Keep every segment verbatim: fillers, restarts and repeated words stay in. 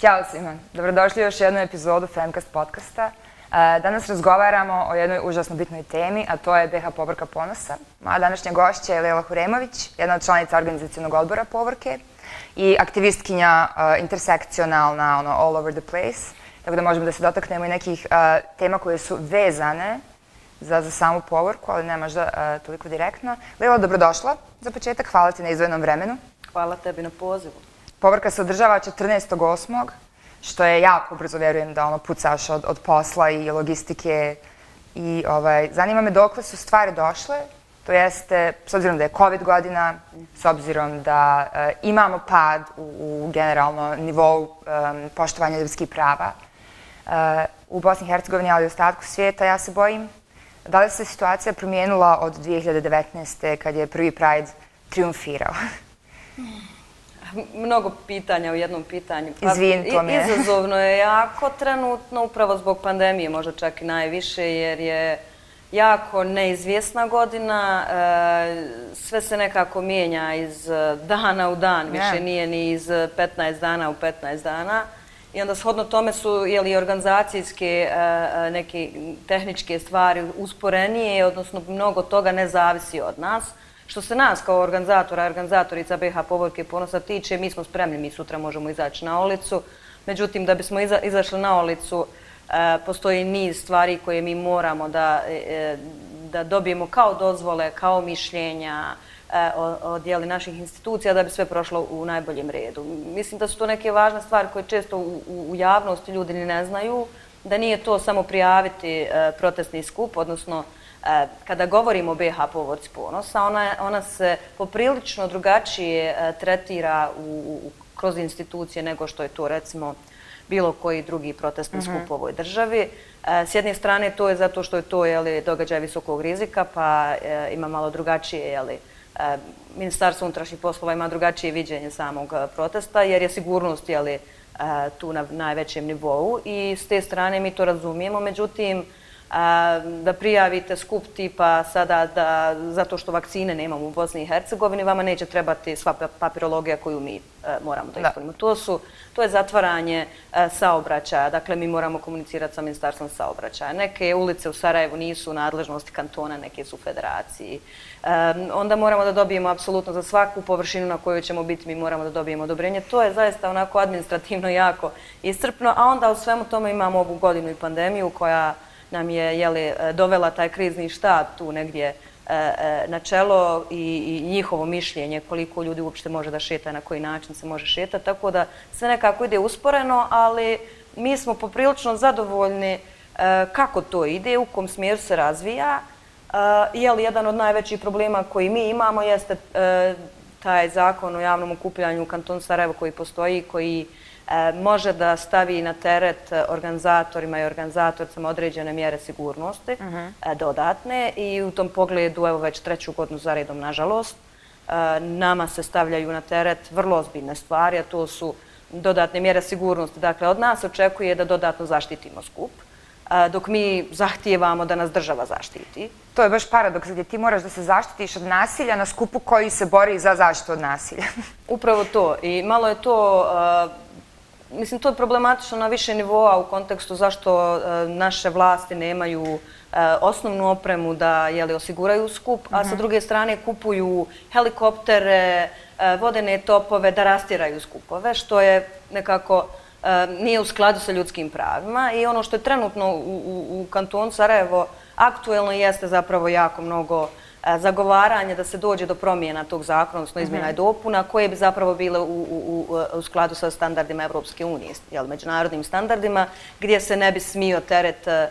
Ćao svima, dobrodošli u još jednu epizodu Femcast podcasta. Danas razgovaramo o jednoj užasno bitnoj temi, a to je be ha Povorka ponosa. Moja današnja gošća je Lejla Huremović, jedna od članica organizacionog odbora Povorke i aktivistkinja intersekcionalna, ono, all over the place. Tako da možemo da se dotaknemo i nekih tema koje su vezane za samu Povorku, ali ne možda toliko direktno. Lejla, dobrodošla za početak, hvala ti na izdvojenom vremenu. Hvala tebi na pozivu. Povorka se održava četrnaestog osmog što je jako brzo, verujem da ono pucaš od, od posla i logistike. I ovaj, zanima me dokle su stvari došle, to jeste, s obzirom da je COVID godina, s obzirom da e, imamo pad u, u generalno nivou e, poštovanja ljudskih prava e, u Bosni i Hercegovini, ali i ostatku svijeta, ja se bojim. Da li se situacija promijenila od dvije hiljade devetnaeste. kad je prvi Pride triumfirao? Mnogo pitanja u jednom pitanju. Izvin, to mi je. Izazovno je jako trenutno, upravo zbog pandemije, možda čak i najviše, jer je jako neizvjesna godina. Sve se nekako mijenja iz dana u dan, više nije ni iz petnaest dana u petnaest dana. I onda shodno tome su jeli, organizacijske, neke tehničke stvari usporenije, odnosno mnogo toga ne zavisi od nas. Što se nas kao organizatora, organizatorica be ha Povorke ponosa tiče, mi smo spremni, mi sutra možemo izaći na ulicu. Međutim, da bismo iza, izašli na ulicu, e, postoji niz stvari koje mi moramo da, e, da dobijemo kao dozvole, kao mišljenja e, od jeli, naših institucija da bi sve prošlo u najboljem redu. Mislim da su to neke važne stvari koje često u, u, u javnosti ljudi ni ne znaju, da nije to samo prijaviti e, protestni skup, odnosno kada govorimo o be ha Povorci ponosa, ona, ona se poprilično drugačije tretira u, u, kroz institucije nego što je to, recimo, bilo koji drugi protestni skup u ovoj državi. S jedne strane, to je zato što je to jeli, događaj visokog rizika, pa e, ima malo drugačije, jeli, e, Ministarstvo unutrašnjih poslova ima drugačije viđenje samog protesta, jer je sigurnost jeli, e, tu na najvećem nivou i s te strane mi to razumijemo. Međutim, da prijavite skup tipa sada da zato što vakcine nemamo u Bosni i Hercegovini, vama neće trebati sva papirologija koju mi moramo da ispunimo. To, su, to je zatvaranje saobraćaja, dakle mi moramo komunicirati sa Ministarstvom saobraćaja. Neke ulice u Sarajevu nisu u nadležnosti kantona, neke su u federaciji. Onda moramo da dobijemo apsolutno za svaku površinu na kojoj ćemo biti, mi moramo da dobijemo odobrenje. To je zaista onako administrativno jako iscrpno, a onda u svemu tome imamo ovu godinu i pandemiju koja nam je jeli, dovela taj krizni štab tu negdje e, e, na čelo i, i njihovo mišljenje koliko ljudi uopšte može da šeta, na koji način se može šetati. Tako da sve nekako ide usporeno, ali mi smo poprilično zadovoljni e, kako to ide, u kom smjeru se razvija. E, jeli, jedan od najvećih problema koji mi imamo jeste e, taj zakon o javnom okupljanju u kantonu Sarajevo koji postoji, koji može da stavi na teret organizatorima i organizatoricama određene mjere sigurnosti, dodatne, i u tom pogledu, evo već treću godinu za redom, nažalost, nama se stavljaju na teret vrlo ozbiljne stvari, a to su dodatne mjere sigurnosti. Dakle, od nas očekuje da dodatno zaštitimo skup, dok mi zahtijevamo da nas država zaštiti. To je baš paradoks gdje ti moraš da se zaštitiš od nasilja na skupu koji se bori za zaštitu od nasilja. Upravo to. I malo je to... Mislim, to je problematično na više nivoa u kontekstu zašto e, naše vlasti nemaju e, osnovnu opremu da jeli, osiguraju skup, a uh-huh. sa druge strane kupuju helikoptere, e, vodene topove da rastjeraju skupove, što je nekako e, nije u skladu sa ljudskim pravima. I ono što je trenutno u, u, u kantonu Sarajevo aktuelno jeste zapravo jako mnogo zagovaranje da se dođe do promjena tog zakona, odnosno izmjena i dopuna, koje bi zapravo bile u, u, u skladu sa standardima Evropske unije, jel, međunarodnim standardima, gdje se ne bi smio teret e,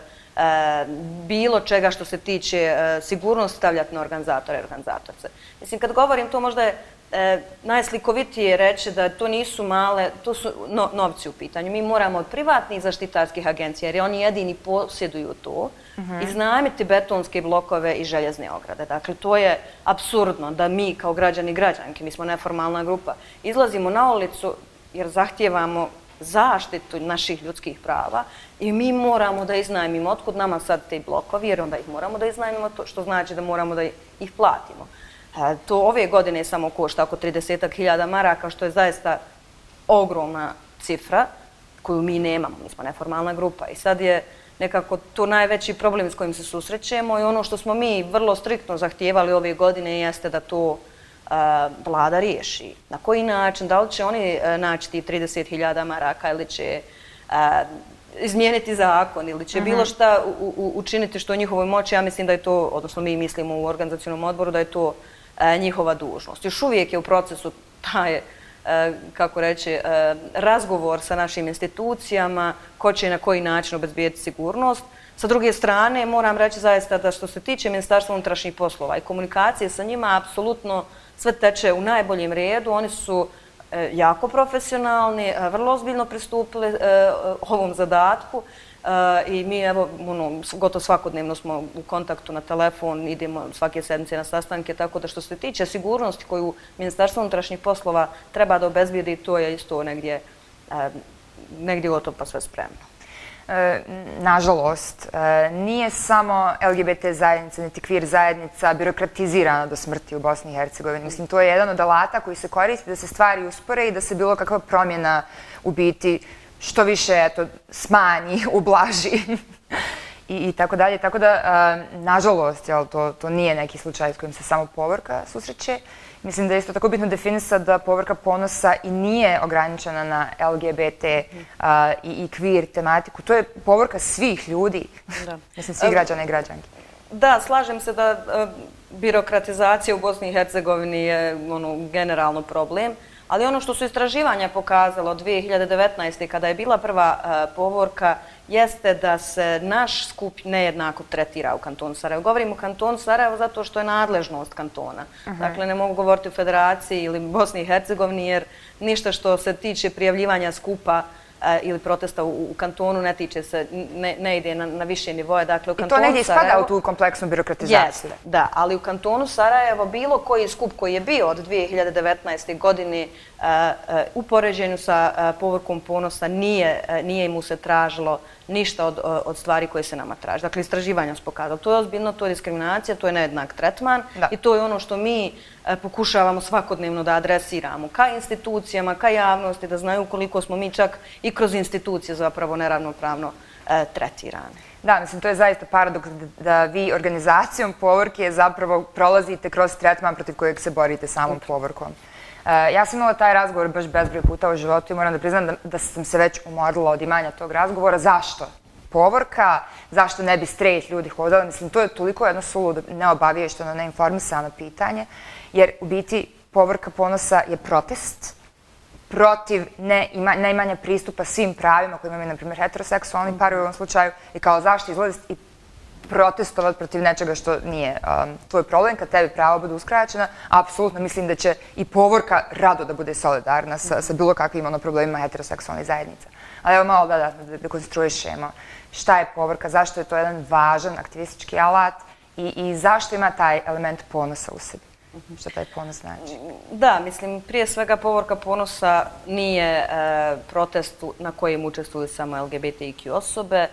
bilo čega što se tiče e, sigurnosti stavljati na organizatore i organizatorce. Mislim, kad govorim to možda je e, najslikovitije reći da to nisu male, to su no, novci u pitanju. Mi moramo od privatnih zaštitarskih agencija, jer oni jedini posjeduju to, Uh-huh. iznajmiti betonske blokove i željezne ograde. Dakle, to je apsurdno da mi kao građani i građanke, mi smo neformalna grupa, izlazimo na ulicu jer zahtijevamo zaštitu naših ljudskih prava i mi moramo da iznajmimo. Otkud nama sad te blokovi, jer onda ih moramo da iznajmimo, to što znači da moramo da ih platimo. To ove godine samo košta oko trideset hiljada maraka, što je zaista ogromna cifra. koju mi nemamo, mi smo neformalna grupa i sad je nekako to najveći problem s kojim se susrećemo i ono što smo mi vrlo striktno zahtijevali ove godine jeste da to vlada riješi. Na koji način, da li će oni naći ti trideset hiljada maraka ili će izmijeniti zakon ili će bilo šta učiniti što je u njihovoj moći, ja mislim da je to, odnosno mi mislimo u organizacionom odboru da je to njihova dužnost. Još uvijek je u procesu taj, kako reći, razgovor sa našim institucijama, ko će i na koji način obezbijeti sigurnost. Sa druge strane, moram reći zaista da što se tiče Ministarstva unutrašnjih poslova i komunikacije sa njima, apsolutno sve teče u najboljem redu. Oni su jako profesionalni, vrlo ozbiljno pristupili ovom zadatku i mi, evo, gotovo svakodnevno smo u kontaktu na telefon, idemo svake sedmice na sastanke, tako da što se tiče sigurnosti koju Ministarstvo unutrašnjih poslova treba da obezbijedi, to je isto negdje negdje gotovo pa sve spremno. Nažalost, nije samo L G B T zajednica, niti kvir zajednica birokratizirana do smrti u Bosni i Hercegovini. Mislim, to je jedan od alata koji se koristi da se stvari uspore i da se bilo kakva promjena u biti što više smanji, ublaži i tako dalje. Tako da, nažalost, to nije neki slučaj s kojim se samo Povorka susreće. Mislim da je isto tako bitno definisati da Povorka ponosa i nije ograničena na L G B T i kvir tematiku. To je Povorka svih ljudi, mislim, svih građana i građanki. Da, slažem se da birokratizacija u Bosni i Hercegovini je generalno problem, ali ono što su istraživanja pokazala od dvije hiljade devetnaeste. kada je bila prva Povorka, jeste da se naš skup nejednako tretira u kantonu Sarajevo. Govorim o kantonu Sarajevo zato što je nadležnost kantona. Dakle, ne mogu govoriti o Federaciji ili Bosni i Hercegovini, jer ništa što se tiče prijavljivanja skupa ili protesta u kantonu ne tiče se, ne ide na više nivoje. I to negdje ispada u tu kompleksnu birokratizaciju. Jeste, da, ali u kantonu Sarajevo bilo koji skup koji je bio od dvije hiljade devetnaeste. godine u poređenju sa Povorkom ponosa nije mu se tražilo ništa od stvari koje se nama traži. Dakle, istraživanja su pokazali. To je ozbiljno, to je diskriminacija, to je nejednak tretman i to je ono što mi pokušavamo svakodnevno da adresiramo ka institucijama, ka javnosti, da znaju koliko smo mi čak i kroz institucije zapravo neravnopravno tretirane. Da, mislim, to je zaista paradoks da vi organizacijom Povorke zapravo prolazite kroz tretman protiv kojeg se borite samom Povorkom. Ja sam imala taj razgovor baš bezbroj puta u životu i moram da priznam da sam se već umorila od imanja tog razgovora. Zašto Povorka? Zašto ne bi straight ljudi hodali? Mislim, to je toliko jedno suludo, neobaviješteno, neinformisano pitanje, jer u biti Povorka ponosa je protest protiv neimanja pristupa svim pravima koje imaju, na primjer, heteroseksualni par u ovom slučaju i kao zašto izlaziti i protestovati protiv nečega što nije tvoj problem. Kad tebi pravo bude uskraćena, apsolutno mislim da će i Povorka rado da bude solidarna sa bilo kakvim problemima heteroseksualnih zajednica. Ali evo malo da dekonstruišemo šta je Povorka, zašto je to jedan važan aktivistički alat i zašto ima taj element ponosa u sebi. Što taj ponos znači? Da, mislim, prije svega Povorka ponosa nije protest na kojem učestvuju samo L G B T I Q osobe.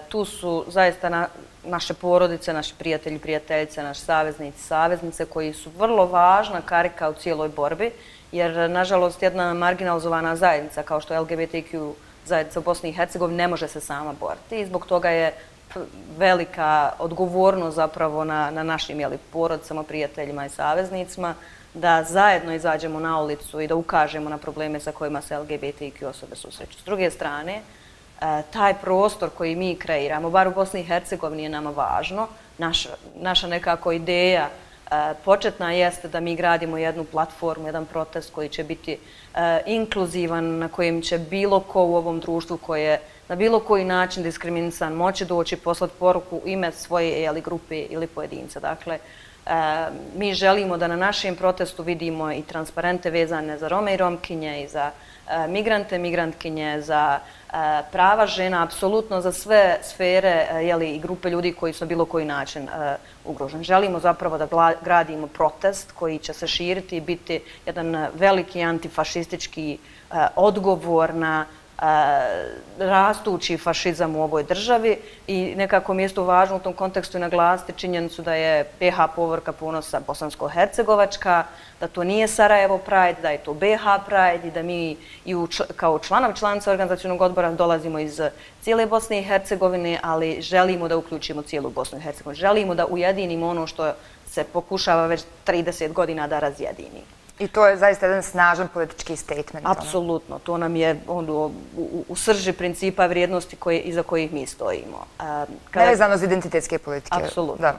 Tu su zaista naše porodice, naši prijatelji, prijateljice, naši saveznici, saveznice koji su vrlo važna karika u cijeloj borbi, jer nažalost jedna marginalizovana zajednica kao što je L G B T I Q zajednica u Bosni i Hercegovini ne može se sama boriti i zbog toga je velika odgovornost zapravo na našim porodicama, prijateljima i saveznicima da zajedno izađemo na ulicu i da ukažemo na probleme sa kojima se L G B T I Q osobe susreću. S druge strane, taj prostor koji mi kreiramo, bar u Bosni i Hercegovini, je nama važno. Naša nekako ideja početna jeste da mi gradimo jednu platformu, jedan protest koji će biti inkluzivan, na kojem će bilo ko u ovom društvu koje je na bilo koji način diskriminisan moći doći, poslati poruku ime svoje grupe ili pojedinca. Dakle, mi želimo da na našem protestu vidimo i transparente vezane za Rome i Romkinje i za migrante, migrantkinje, za prava žena, apsolutno za sve sfere i grupe ljudi koji su na bilo koji način ugroženi. Želimo zapravo da gradimo protest koji će se širiti i biti jedan veliki antifašistički odgovor na rastući fašizam u ovoj državi i nekako mi je isto važno u tom kontekstu naglasiti činjenicu da je B H Povorka Ponosa bosansko-hercegovačka, da to nije Sarajevo Pride, da je to B H Pride i da mi i kao članovi članice organizacionog odbora dolazimo iz cijele Bosne i Hercegovine, ali želimo da uključimo cijelu Bosnu i Hercegovinu. Želimo da ujedinimo ono što se pokušava već trideset godina da razjedini. I to je zaista jedan snažan politički statement. Apsolutno. To nam je u srži principa vrijednosti iza kojih mi stojimo. Nevezano za identitetske politike. Apsolutno.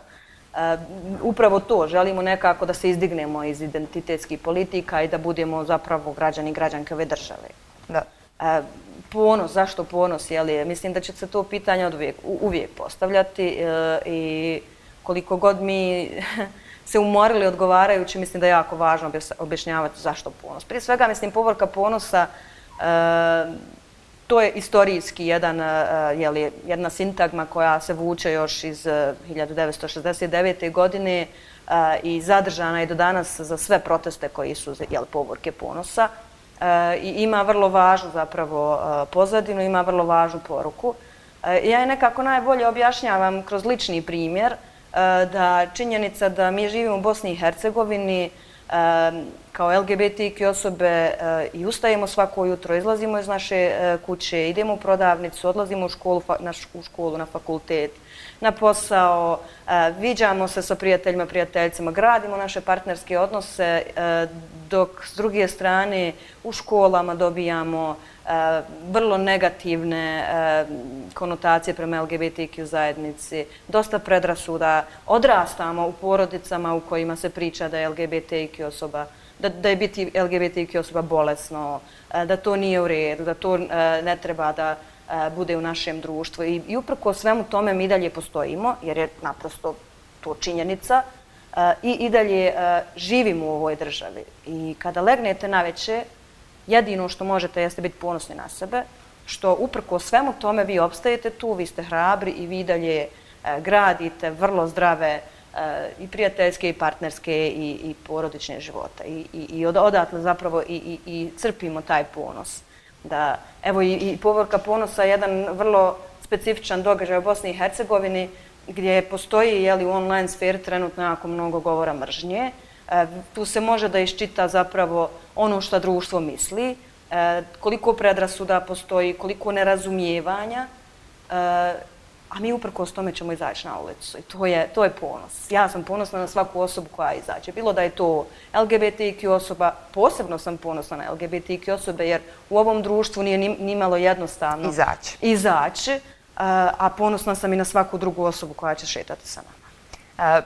Upravo to. Želimo nekako da se izdignemo iz identitetskih politika i da budemo zapravo građani i građanke ove države. Da. Ponos, zašto ponos? Mislim da će se to pitanje uvijek postavljati i koliko god mi se umorili odgovarajući, mislim da je jako važno objašnjavati zašto ponos. Prije svega, mislim, Povorka Ponosa, to je istorijski jedna sintagma koja se vuče još iz hiljadu devetsto šezdeset devete. godine i zadržana je do danas za sve proteste koji su Povorke Ponosa. I ima vrlo važnu zapravo pozadinu, ima vrlo važnu poruku. Ja je nekako najbolje objašnjavam kroz lični primjer da činjenica da mi živimo u Bosni i Hercegovini kao L G B T Q osobe i ustajemo svako jutro, izlazimo iz naše kuće, idemo u prodavnicu, odlazimo u školu, na fakultet, na posao, viđamo se sa prijateljima, prijateljicama, gradimo naše partnerske odnose, dok s druge strane u školama dobijamo vrlo negativne konotacije prema L G B T Q zajednici, dosta predrasuda, odrastamo u porodicama u kojima se priča da je L G B T Q osoba, da je biti L G B T Q osoba bolesno, da to nije u redu, da to ne treba da bude u našem društvu. I uprko svemu tome mi dalje postojimo, jer je naprosto to činjenica, i i dalje živimo u ovoj državi. I kada legnete naveče, jedino što možete jeste biti ponosni na sebe, što uprko svemu tome vi opstajete tu, vi ste hrabri i vi dalje gradite vrlo zdrave i prijateljske i partnerske i porodične živote. I odatle zapravo i crpimo taj ponos. Evo i Povorka Ponosa je jedan vrlo specifičan događaj u Bosni i Hercegovini gdje postoji u online sferi trenutno jako mnogo govora mržnje. Tu se može da iščita zapravo ono što društvo misli, koliko predrasuda postoji, koliko nerazumijevanja, a mi uprkos tome ćemo izaći na ulicu i to je ponos. Ja sam ponosna na svaku osobu koja izađe. Bilo da je to L G B T Q osoba, posebno sam ponosna na L G B T Q osobe jer u ovom društvu nije nimalo jednostavno izaći, a ponosna sam i na svaku drugu osobu koja će šetati sa nama.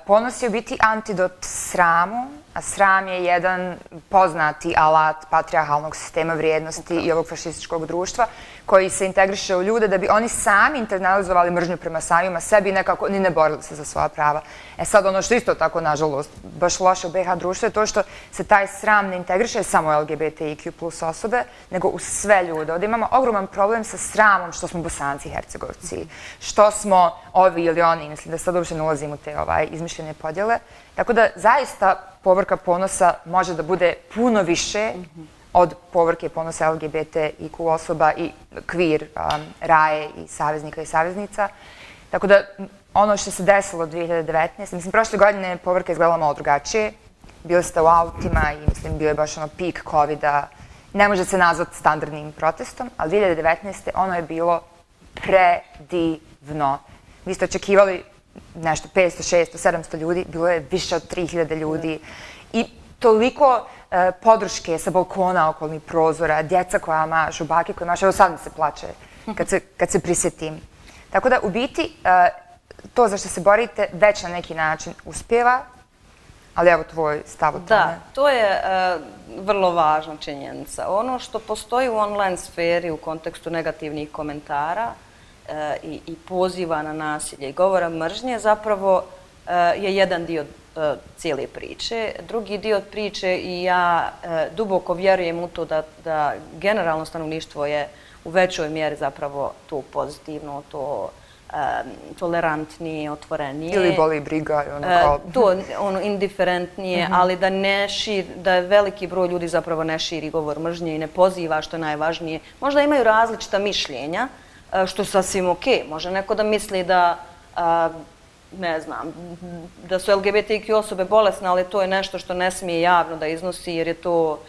Ponos je u biti antidot sramu, a sram je jedan poznati alat patrijarhalnog sistema vrijednosti i ovog fašističkog društva koji se integriše u ljude da bi oni sami internalizovali mržnju prema samima sebi i nekako ni ne borili se za svoja prava. E sad ono što isto tako, nažalost, baš loše u B H društvu je to što se taj sram ne integriše samo u L G B T Q plus osobe, nego u sve ljude. Ovdje imamo ogroman problem sa sramom što smo Bosanci i Hercegovci, što smo ovi ili oni, mislim da sad uopšte ne ulazim u te izmišljene podjele. Tako da zaista Povorka Ponosa može da bude puno više od Povorke Ponosa L G B T I Q osoba i kvir, raje i saveznika i saveznica. Tako da ono što se desilo dve hiljade devetnaeste. mislim, prošle godine Povorka izgledala malo drugačije. Bili ste u autima i mislim, bio je baš ono pik kovida. Ne može se nazvati standardnim protestom, ali dve hiljade devetnaeste. ono je bilo predivno. Vi ste očekivali nešto petsto, šesto, sedamsto ljudi, bilo je više od tri hiljade ljudi i toliko podrške sa balkona, okolnih prozora, djeca koja mašu, bake koje mašu, evo sad mi se plače kad se prisjetim. Tako da, u biti, to za što se borite već na neki način uspjeva, ali evo tvoj stav o tome. Da, to je vrlo važna činjenica. Ono što postoji u online sferi u kontekstu negativnih komentara i poziva na nasilje i govora mržnje zapravo je jedan dio cijele priče. Drugi dio priče i ja duboko vjerujem u to da generalno stanovništvo je u većoj mjeri zapravo to pozitivno, to tolerantnije, otvorenije. Ili boli briga. Ono kao... To, ono, indiferentnije, ali da ne širi, da veliki broj ljudi zapravo ne širi govor mržnje i ne poziva, što je najvažnije. Možda imaju različita mišljenja, što je sasvim okej. Može neko da misli da, ne znam, da su L G B T Q osobe bolesne, ali to je nešto što ne smije javno da iznosi, jer je to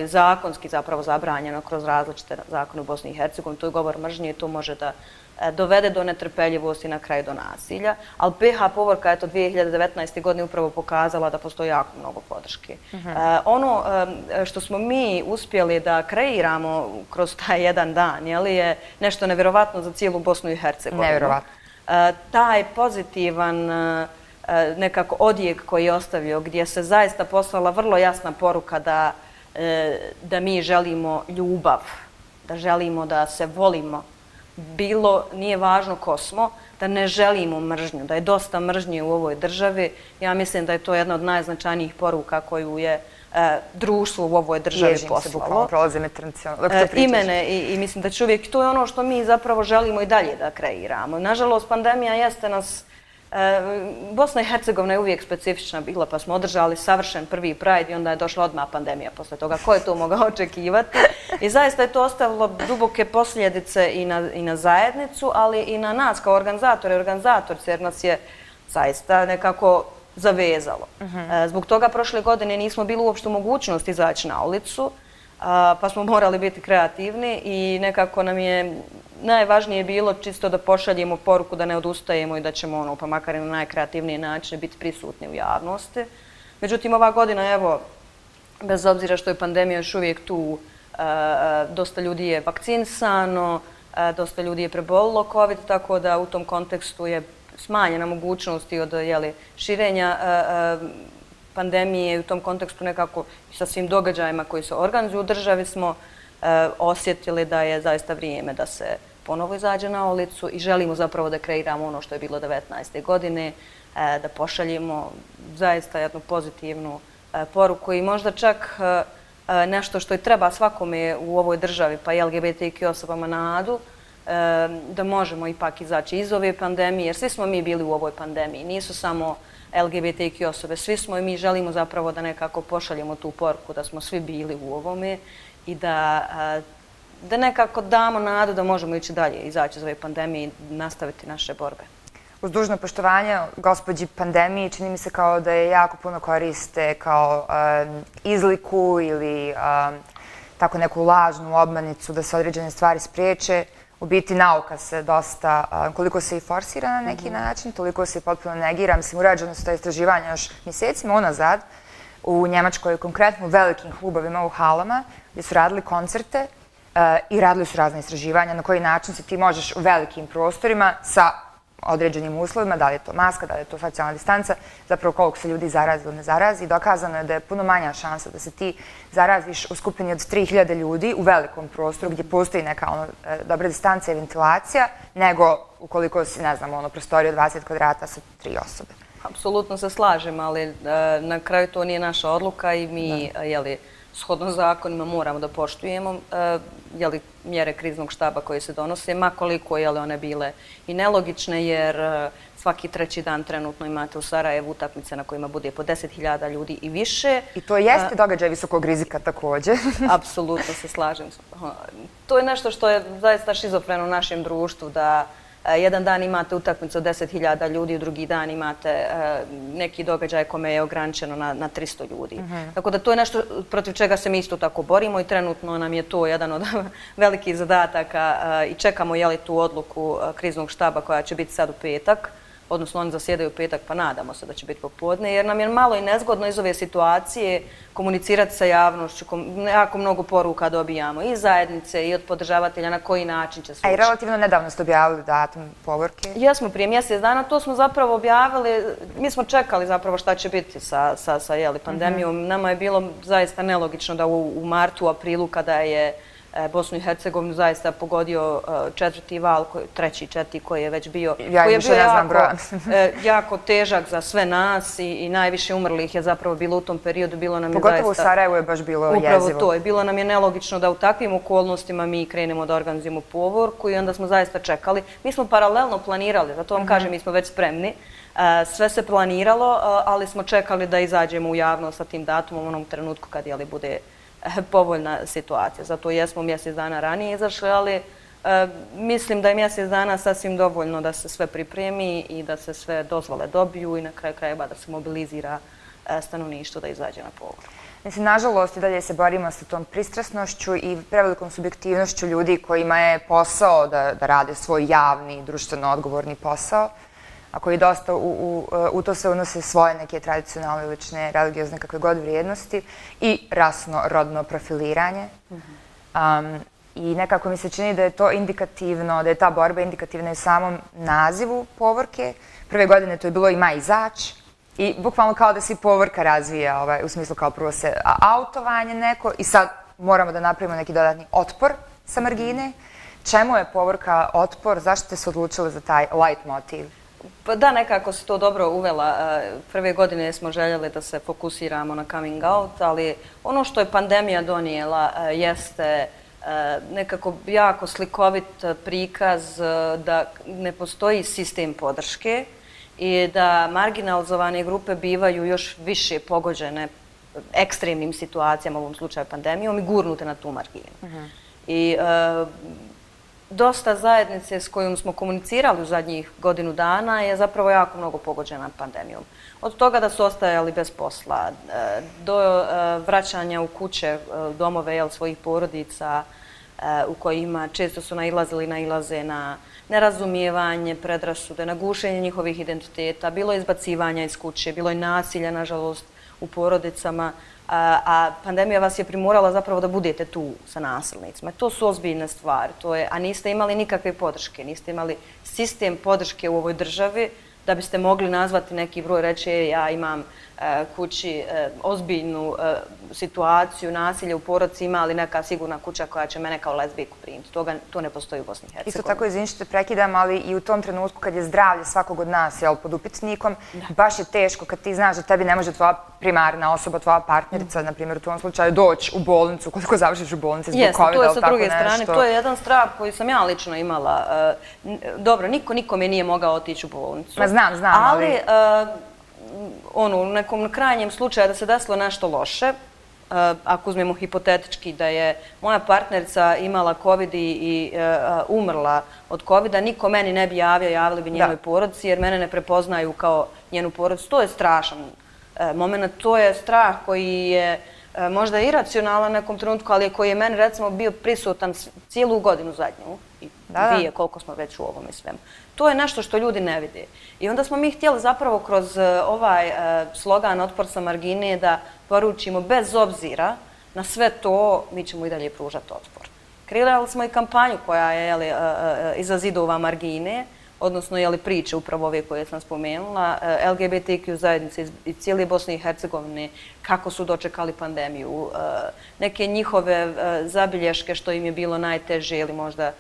zakonski zapravo zabranjeno kroz različite zakone u Bosni i Hercegovini. To je govor mržnje i to može da dovede do netrpeljivosti i na kraju do nasilja. Ali P H povorka je to dvije hiljade devetnaeste. godine upravo pokazala da postoji jako mnogo podrške. Ono što smo mi uspjeli da kreiramo kroz taj jedan dan je nešto nevjerovatno za cijelu Bosnu i Hercegovinu. Nevjerovatno. Taj pozitivan nekako odjek koji je ostavio, gdje se zaista poslala vrlo jasna poruka da da mi želimo ljubav, da želimo da se volimo. Bilo, nije važno ko smo, da ne želimo mržnju, da je dosta mržnje u ovoj državi. Ja mislim da je to jedna od najznačajnijih poruka koju je društvo u ovoj državi poslalo. Ježim se, bukvalno prolaze me transijalno. I mene, i mislim da će uvijek, to je ono što mi zapravo želimo i dalje da kreiramo. Nažalost, pandemija jeste nas... Bosna i Hercegovina je uvijek specifična bila, pa smo održali savršen prvi Pride i onda je došla odmah pandemija posle toga. Ko je to mogao očekivati? I zaista je to ostavilo duboke posljedice i na, i na zajednicu, ali i na nas kao organizatore i organizatorce, jer nas je zaista nekako zavezalo. Zbog toga prošle godine nismo bili uopšte u mogućnosti izaći na ulicu, pa smo morali biti kreativni i nekako nam je najvažnije bilo čisto da pošaljemo poruku da ne odustajemo i da ćemo, ono, pa makar i na najkreativniji način, biti prisutni u javnosti. Međutim, ova godina, evo, bez obzira što je pandemija još uvijek tu, dosta ljudi je vakcinisano, dosta ljudi je prebolilo COVID, tako da u tom kontekstu je smanjena mogućnost i od širenja pandemije i u tom kontekstu nekako sa svim događajima koji se organizuju u državi smo osjetili da je zaista vrijeme da se ponovo izađe na ulicu i želimo zapravo da kreiramo ono što je bilo devetnaeste. godine, da pošaljemo zaista jednu pozitivnu poruku i možda čak nešto što i treba svakome u ovoj državi, pa i L G B T Q osobama nadu, da možemo ipak izaći iz ove pandemije, jer svi smo mi bili u ovoj pandemiji, nisu samo L G B T Q osobe, svi smo i mi želimo zapravo da nekako pošaljemo tu poruku da smo svi bili u ovome i da, da nekako damo nadu da možemo ići dalje, izaći iz ove pandemije i nastaviti naše borbe. Uz dužno poštovanje gospođi pandemiji, čini mi se kao da je jako puno koriste kao um, izliku ili um, tako neku lažnu obmanicu da se određene stvari spriječe. U biti nauka se dosta, um, koliko se i forsira na neki mm-hmm. način, toliko se i potpuno negira. Mislim, urađeno su ta istraživanja još mjesecima unazad u Njemačkoj, konkretno u velikim klubovima, u halama, gdje su radili koncerte uh, i radili su razne istraživanja na koji način se ti možeš u velikim prostorima sa određenim uslovima, da li je to maska, da li je to socijalna distanca, zapravo koliko se ljudi zarazi ili ne zarazi. Dokazano je da je puno manja šansa da se ti zaraziš u skupini od tri hiljade ljudi u velikom prostoru gdje postoji neka ono, dobra distanca i ventilacija, nego ukoliko si, ne znam, ono, prostoriju dvadeset kvadrata sa tri osobe. Apsolutno se slažem, ali na kraju to nije naša odluka i mi, jeli, shodno zakonima moramo da poštujemo jeli, mjere kriznog štaba koje se donose, makoliko jeli, one bile i nelogične, jer svaki treći dan trenutno imate u Sarajevu utakmice na kojima bude po deset hiljada ljudi i više. I to jeste događaj visokog rizika također. Apsolutno se slažem. To je nešto što je zaista šizofreno u našem društvu, da jedan dan imate utakmicu od deset hiljada ljudi, u drugi dan imate neki događaj kome je ograničeno na, na tristo ljudi. Mm-hmm. Tako da to je nešto protiv čega se mi isto tako borimo i trenutno nam je to jedan od velikih zadataka i čekamo je li tu odluku kriznog štaba koja će biti sad u petak, odnosno oni zasjedaju u petak, pa nadamo se da će biti popodne, jer nam je malo i nezgodno iz ove situacije komunicirati sa javnošću, jako mnogo poruka dobijamo i zajednice i od podržavatelja na koji način će se ući. A i relativno nedavno ste objavili datum povorke? Jesmo, prije mjesec dana, to smo zapravo objavili, mi smo čekali zapravo šta će biti sa, sa, sa jeli, pandemijom. Mm-hmm. Nama je bilo zaista nelogično da u, u martu, aprilu, kada je Bosnu i Hercegovinu zaista pogodio četvrti val, treći, četvrti koji je već bio, ja koji je bio jako, jako težak za sve nas i, i najviše umrlih je zapravo bilo u tom periodu. Bilo nam je Pogotovo zaista, u Sarajevu je baš bilo upravo jezivo. Upravo to je. Bilo nam je nelogično da u takvim okolnostima mi krenemo da organizujemo povorku i onda smo zaista čekali. Mi smo paralelno planirali, zato vam mm-hmm. kažem, mi smo već spremni. Sve se planiralo, ali smo čekali da izađemo u javnost sa tim datumom u onom trenutku kad jeli bude povoljna situacija. Zato jesmo mjesec dana ranije izašli, ali e, mislim da je mjesec dana sasvim dovoljno da se sve pripremi i da se sve dozvole dobiju i na kraju krajeva da se mobilizira e, stanovništvo da izađe na povorku. Mislim, nažalost, i dalje se borimo sa tom pristrasnošću i prevelikom subjektivnošću ljudi kojima je posao da, da rade svoj javni, društveno odgovorni posao, a koji dosta u, u, u to se unose svoje neke tradicionalne, lične, religiozne, kakve god vrijednosti i rasno-rodno profiliranje. Mm-hmm. um, I nekako mi se čini da je to indikativno, da je ta borba indikativna i u samom nazivu povorke. Prve godine to je bilo ima izaći i bukvalno kao da se povorka razvija, ovaj, u smislu kao prvo se autovanje neko i sad moramo da napravimo neki dodatni otpor sa margine. Čemu je povorka otpor? Zašto ste se odlučili za taj light motiv? Pa da, nekako se to dobro uvela. Prve godine smo željeli da se fokusiramo na coming out, ali ono što je pandemija donijela jeste nekako jako slikovit prikaz da ne postoji sistem podrške i da marginalizovane grupe bivaju još više pogođene ekstremnim situacijama, u ovom slučaju pandemijom, i gurnute na tu marginu. Uh-huh. I e, dosta zajednice s kojom smo komunicirali u zadnjih godinu dana je zapravo jako mnogo pogođena pandemijom. Od toga da su ostajali bez posla, do vraćanja u kuće, domove jel, svojih porodica u kojima često su nailazili, nailaze na nerazumijevanje, predrasude, na gušenje njihovih identiteta, bilo je izbacivanja iz kuće, bilo je nasilja, nažalost, u porodicama, a, a pandemija vas je primorala zapravo da budete tu sa nasilnicima. To su ozbiljne stvari, to je, a niste imali nikakve podrške, niste imali sistem podrške u ovoj državi da biste mogli nazvati neki broj, reći ja imam e, kući e, ozbiljnu e, situaciju, nasilje u porodici, ima ali neka sigurna kuća koja će mene kao lezbijku primiti. Toga, to ne postoji u Bosni i Hercegovini. Isto tako, izvini što te prekidam, ali i u tom trenutku kad je zdravlje svakog od nas jel, pod upitnikom, da. Baš je teško kad ti znaš da tebi ne može tvoja primarna osoba, tvoja partnerica, mm. na primjer u tom slučaju, doći u bolnicu, koliko završiš u bolnici zbog Jeste, covida, to je sa druge nešto. strane, to je jedan strah koji sam ja lično imala. Dobro, niko nikome nije mogao otići u bolnicu. Ma znam, znam, ali... ali ono, u nekom krajnjem slučaju da se desilo nešto loše, Uh, ako uzmemo hipotetički da je moja partnerica imala covid i, i uh, umrla od covida, niko meni ne bi javio, javili bi njenoj porodici jer mene ne prepoznaju kao njenu porodicu. To je strašan uh, moment, to je strah koji je uh, možda iracionalan nekom trenutku, ali koji je meni recimo bio prisutan cijelu godinu zadnju i da, dvije koliko smo već u ovome svemu. To je nešto što ljudi ne vide. I onda smo mi htjeli zapravo kroz ovaj slogan Otpor sa margine da poručimo bez obzira na sve to, mi ćemo i dalje pružati otpor. Kreirali smo i kampanju koja je jeli, iza zidova margine, odnosno jeli, priče upravo ove koje sam spomenula, L G B T Q zajednice iz cijele Bosne i Hercegovine, kako su dočekali pandemiju, neke njihove zabilješke što im je bilo najteže ili možda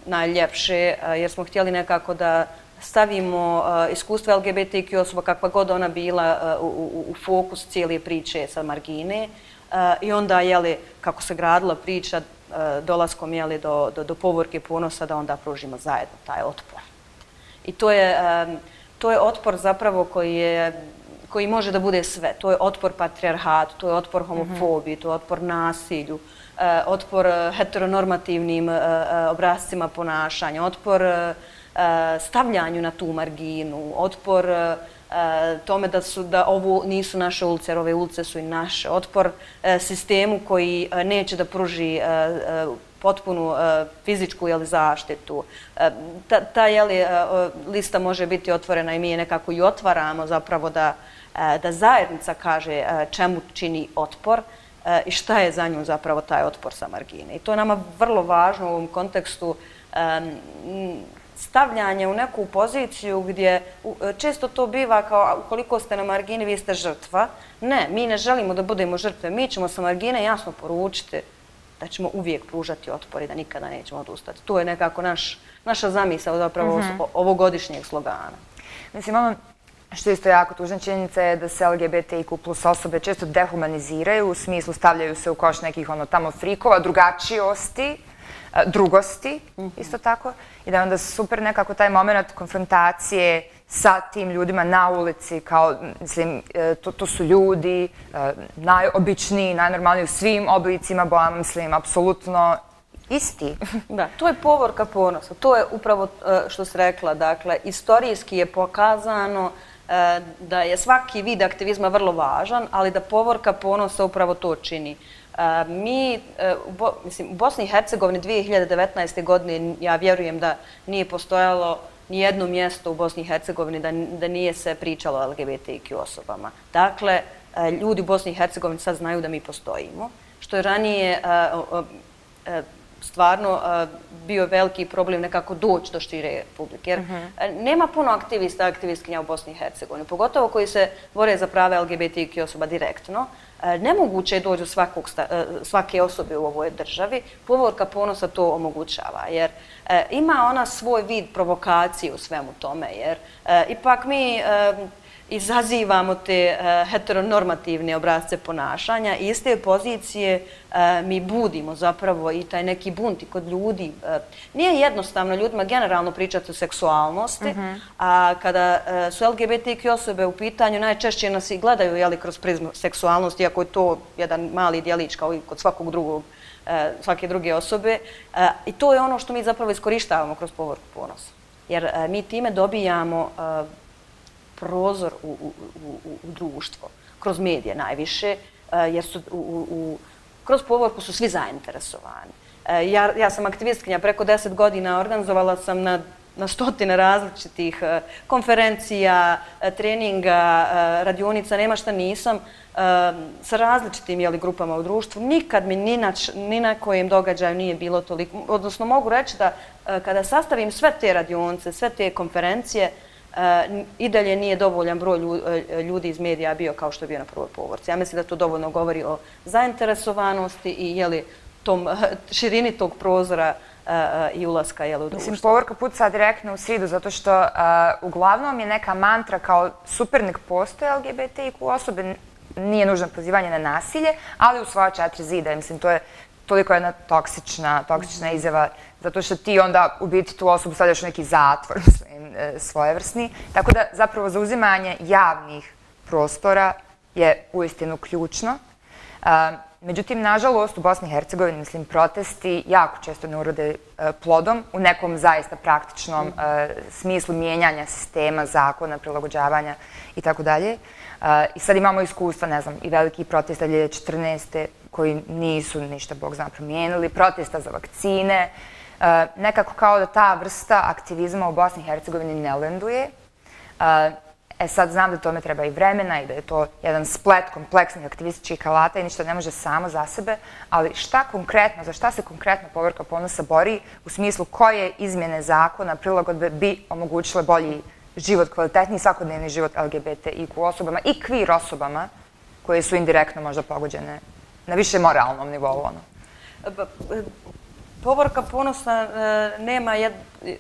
najljepše, jer smo htjeli nekako da stavimo iskustva L G B T Q osoba kakva god ona bila u, u, u fokus cijele priče sa margine i onda, jeli, kako se gradila priča dolaskom jeli, do, do, do povorke ponosa da onda pružimo zajedno taj otpor. I to je, to je otpor zapravo koji je koji može da bude sve. To je otpor patrijarhatu, to je otpor homofobiji, to je otpor nasilju, otpor heteronormativnim obrascima ponašanja, otpor stavljanju na tu marginu, otpor tome da, su, da ovo nisu naše ulice, jer ove ulice su i naše, otpor sistemu koji neće da pruži potpunu fizičku jeli, zaštitu. Ta, ta jeli, lista može biti otvorena i mi je nekako i otvaramo zapravo da, da zajednica kaže čemu čini otpor i šta je za nju zapravo taj otpor sa margine. I to je nama vrlo važno u ovom kontekstu stavljanje u neku poziciju gdje često to biva kao ukoliko ste na margini vi ste žrtva. Ne, mi ne želimo da budemo žrtve, mi ćemo sa margine jasno poručiti da ćemo uvijek pružati otpor i da nikada nećemo odustati. To je nekako naš, naša zamisao zapravo mm-hmm. ovogodišnjeg slogana. Mislim, ono što je isto jako tužna činjenica je da se L G B T I Q plus osobe često dehumaniziraju, u smislu stavljaju se u koš nekih ono tamo frikova, drugačijosti, drugosti, isto tako, i da je onda super nekako taj moment konfrontacije sa tim ljudima na ulici, kao, mislim, to, to su ljudi najobičniji, najnormalniji u svim oblicima, bojama, mislim, apsolutno isti. Da, to je povorka ponosa. To je upravo što si rekla, dakle, istorijski je pokazano da je svaki vid aktivizma vrlo važan, ali da povorka ponosa upravo to čini. Mi, mislim, u Bosni i Hercegovini dvije hiljade devetnaeste. godine, ja vjerujem da nije postojalo ni jedno mjesto u Bosni i Hercegovini da, da nije se pričalo o L G B T I Q osobama. Dakle, ljudi u Bosni i Hercegovini sad znaju da mi postojimo, što je ranije stvarno bio veliki problem nekako doći do šire publike. Jer nema puno aktivista, aktivistkinja u Bosni i Hercegovini, pogotovo koji se bore za prava L G B T I Q osoba direktno. Nemoguće je doći do svakog, svake osobe u ovoj državi. Povorka ponosa to omogućava, jer ima ona svoj vid provokacije u svemu tome, jer ipak mi izazivamo te heteronormativne obrazce ponašanja i iz te pozicije mi budimo zapravo i taj neki bunt i kod ljudi. Nije jednostavno ljudima generalno pričati o seksualnosti, a kada su L G B T I Q osobe u pitanju, najčešće nas i gledaju jeli, kroz prizmu seksualnosti, iako je to jedan mali djelić kao i kod svakog drugog, svake druge osobe. I to je ono što mi zapravo iskorištavamo kroz povorku ponosa. Jer mi time dobijamo prozor u, u, u, u društvo, kroz medije najviše, jer su u, u, kroz povorku su svi zainteresovani. Ja, ja sam aktivistkinja, preko deset godina organizovala sam na, na stotine različitih konferencija, treninga, radionica, nema šta nisam, sa različitim jeli, grupama u društvu. Nikad mi ni na, ni na kojem događaju nije bilo toliko, odnosno mogu reći da kada sastavim sve te radionice, sve te konferencije, i dalje nije dovoljan broj ljudi iz medija bio kao što je bio na prvoj povorci. Ja mislim da to dovoljno govori o zainteresovanosti i jeli, tom širini tog prozora i ulaska jeli, u društvo. Mislim, povorka puca direktno u sridu, zato što uglavnom je neka mantra kao supernik postoje L G B T I Q osobe, nije nužno pozivanje na nasilje, ali u svoja četiri zida. Mislim, to je toliko jedna toksična, toksična izjava, zato što ti onda u biti tu osobu stavljaš u neki zatvor, mislim, svojevrsni. Tako da zapravo zauzimanje javnih prostora je uistinu ključno. Međutim, nažalost, u Bosni i Hercegovini, mislim, protesti jako često ne urode plodom u nekom zaista praktičnom smislu mijenjanja sistema, zakona, prilagođavanja i tako dalje. I sad imamo iskustva, ne znam, i veliki protesta dvije hiljade četrnaeste. koji nisu ništa, Bog zna, promijenili, protesta za vakcine. Nekako kao da ta vrsta aktivizma u Bosni i Hercegovini ne lenduje. E sad znam da tome treba i vremena i da je to jedan splet kompleksnih aktivističkih alata i ništa ne može samo za sebe, ali šta konkretno, za šta se konkretno povorka ponosa bori u smislu koje izmjene zakona, prilagodbe bi omogućile bolji život, kvalitetniji svakodnevni život L G B T I Q osobama i queer osobama koje su indirektno možda pogođene na više moralnom nivou. Ono. Povorka ponosa nema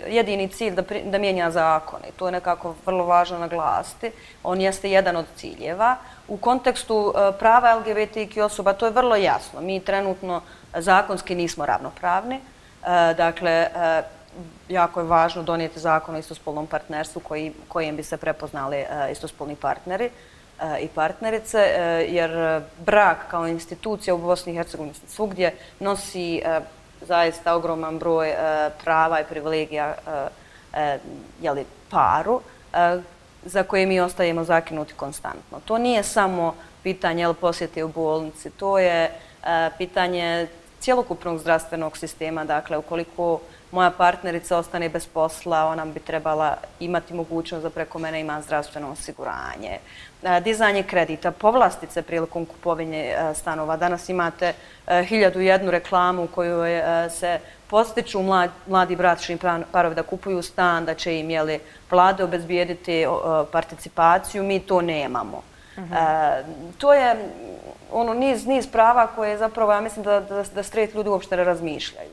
jedini cilj da, da mijenja zakone. To je nekako vrlo važno naglasiti. On jeste jedan od ciljeva. U kontekstu prava L G B T I Q osoba to je vrlo jasno. Mi trenutno zakonski nismo ravnopravni. Dakle, jako je važno donijeti zakon o istospolnom partnerstvu koji, kojim bi se prepoznali istospolni partneri i partnerice, jer brak kao institucija u Bosni i Hercegovini svugdje nosi zaista ogroman broj prava i privilegija jeli, paru za koje mi ostajemo zakinuti konstantno. To nije samo pitanje jel, posjete u bolnici, to je pitanje cjelokupnog zdravstvenog sistema. Dakle, ukoliko moja partnerica ostane bez posla, ona bi trebala imati mogućnost da preko mene ima zdravstveno osiguranje. Dizanje kredita, povlastice prilikom kupovine stanova. Danas imate hiljadu jednu reklamu u kojoj se postiču mladi bračni parovi da kupuju stan, da će im jeli, vlade obezbijediti participaciju. Mi to nemamo. Mm-hmm. To je ono niz, niz prava koje zapravo, ja mislim da, da, da straight ljudi uopšte ne razmišljaju.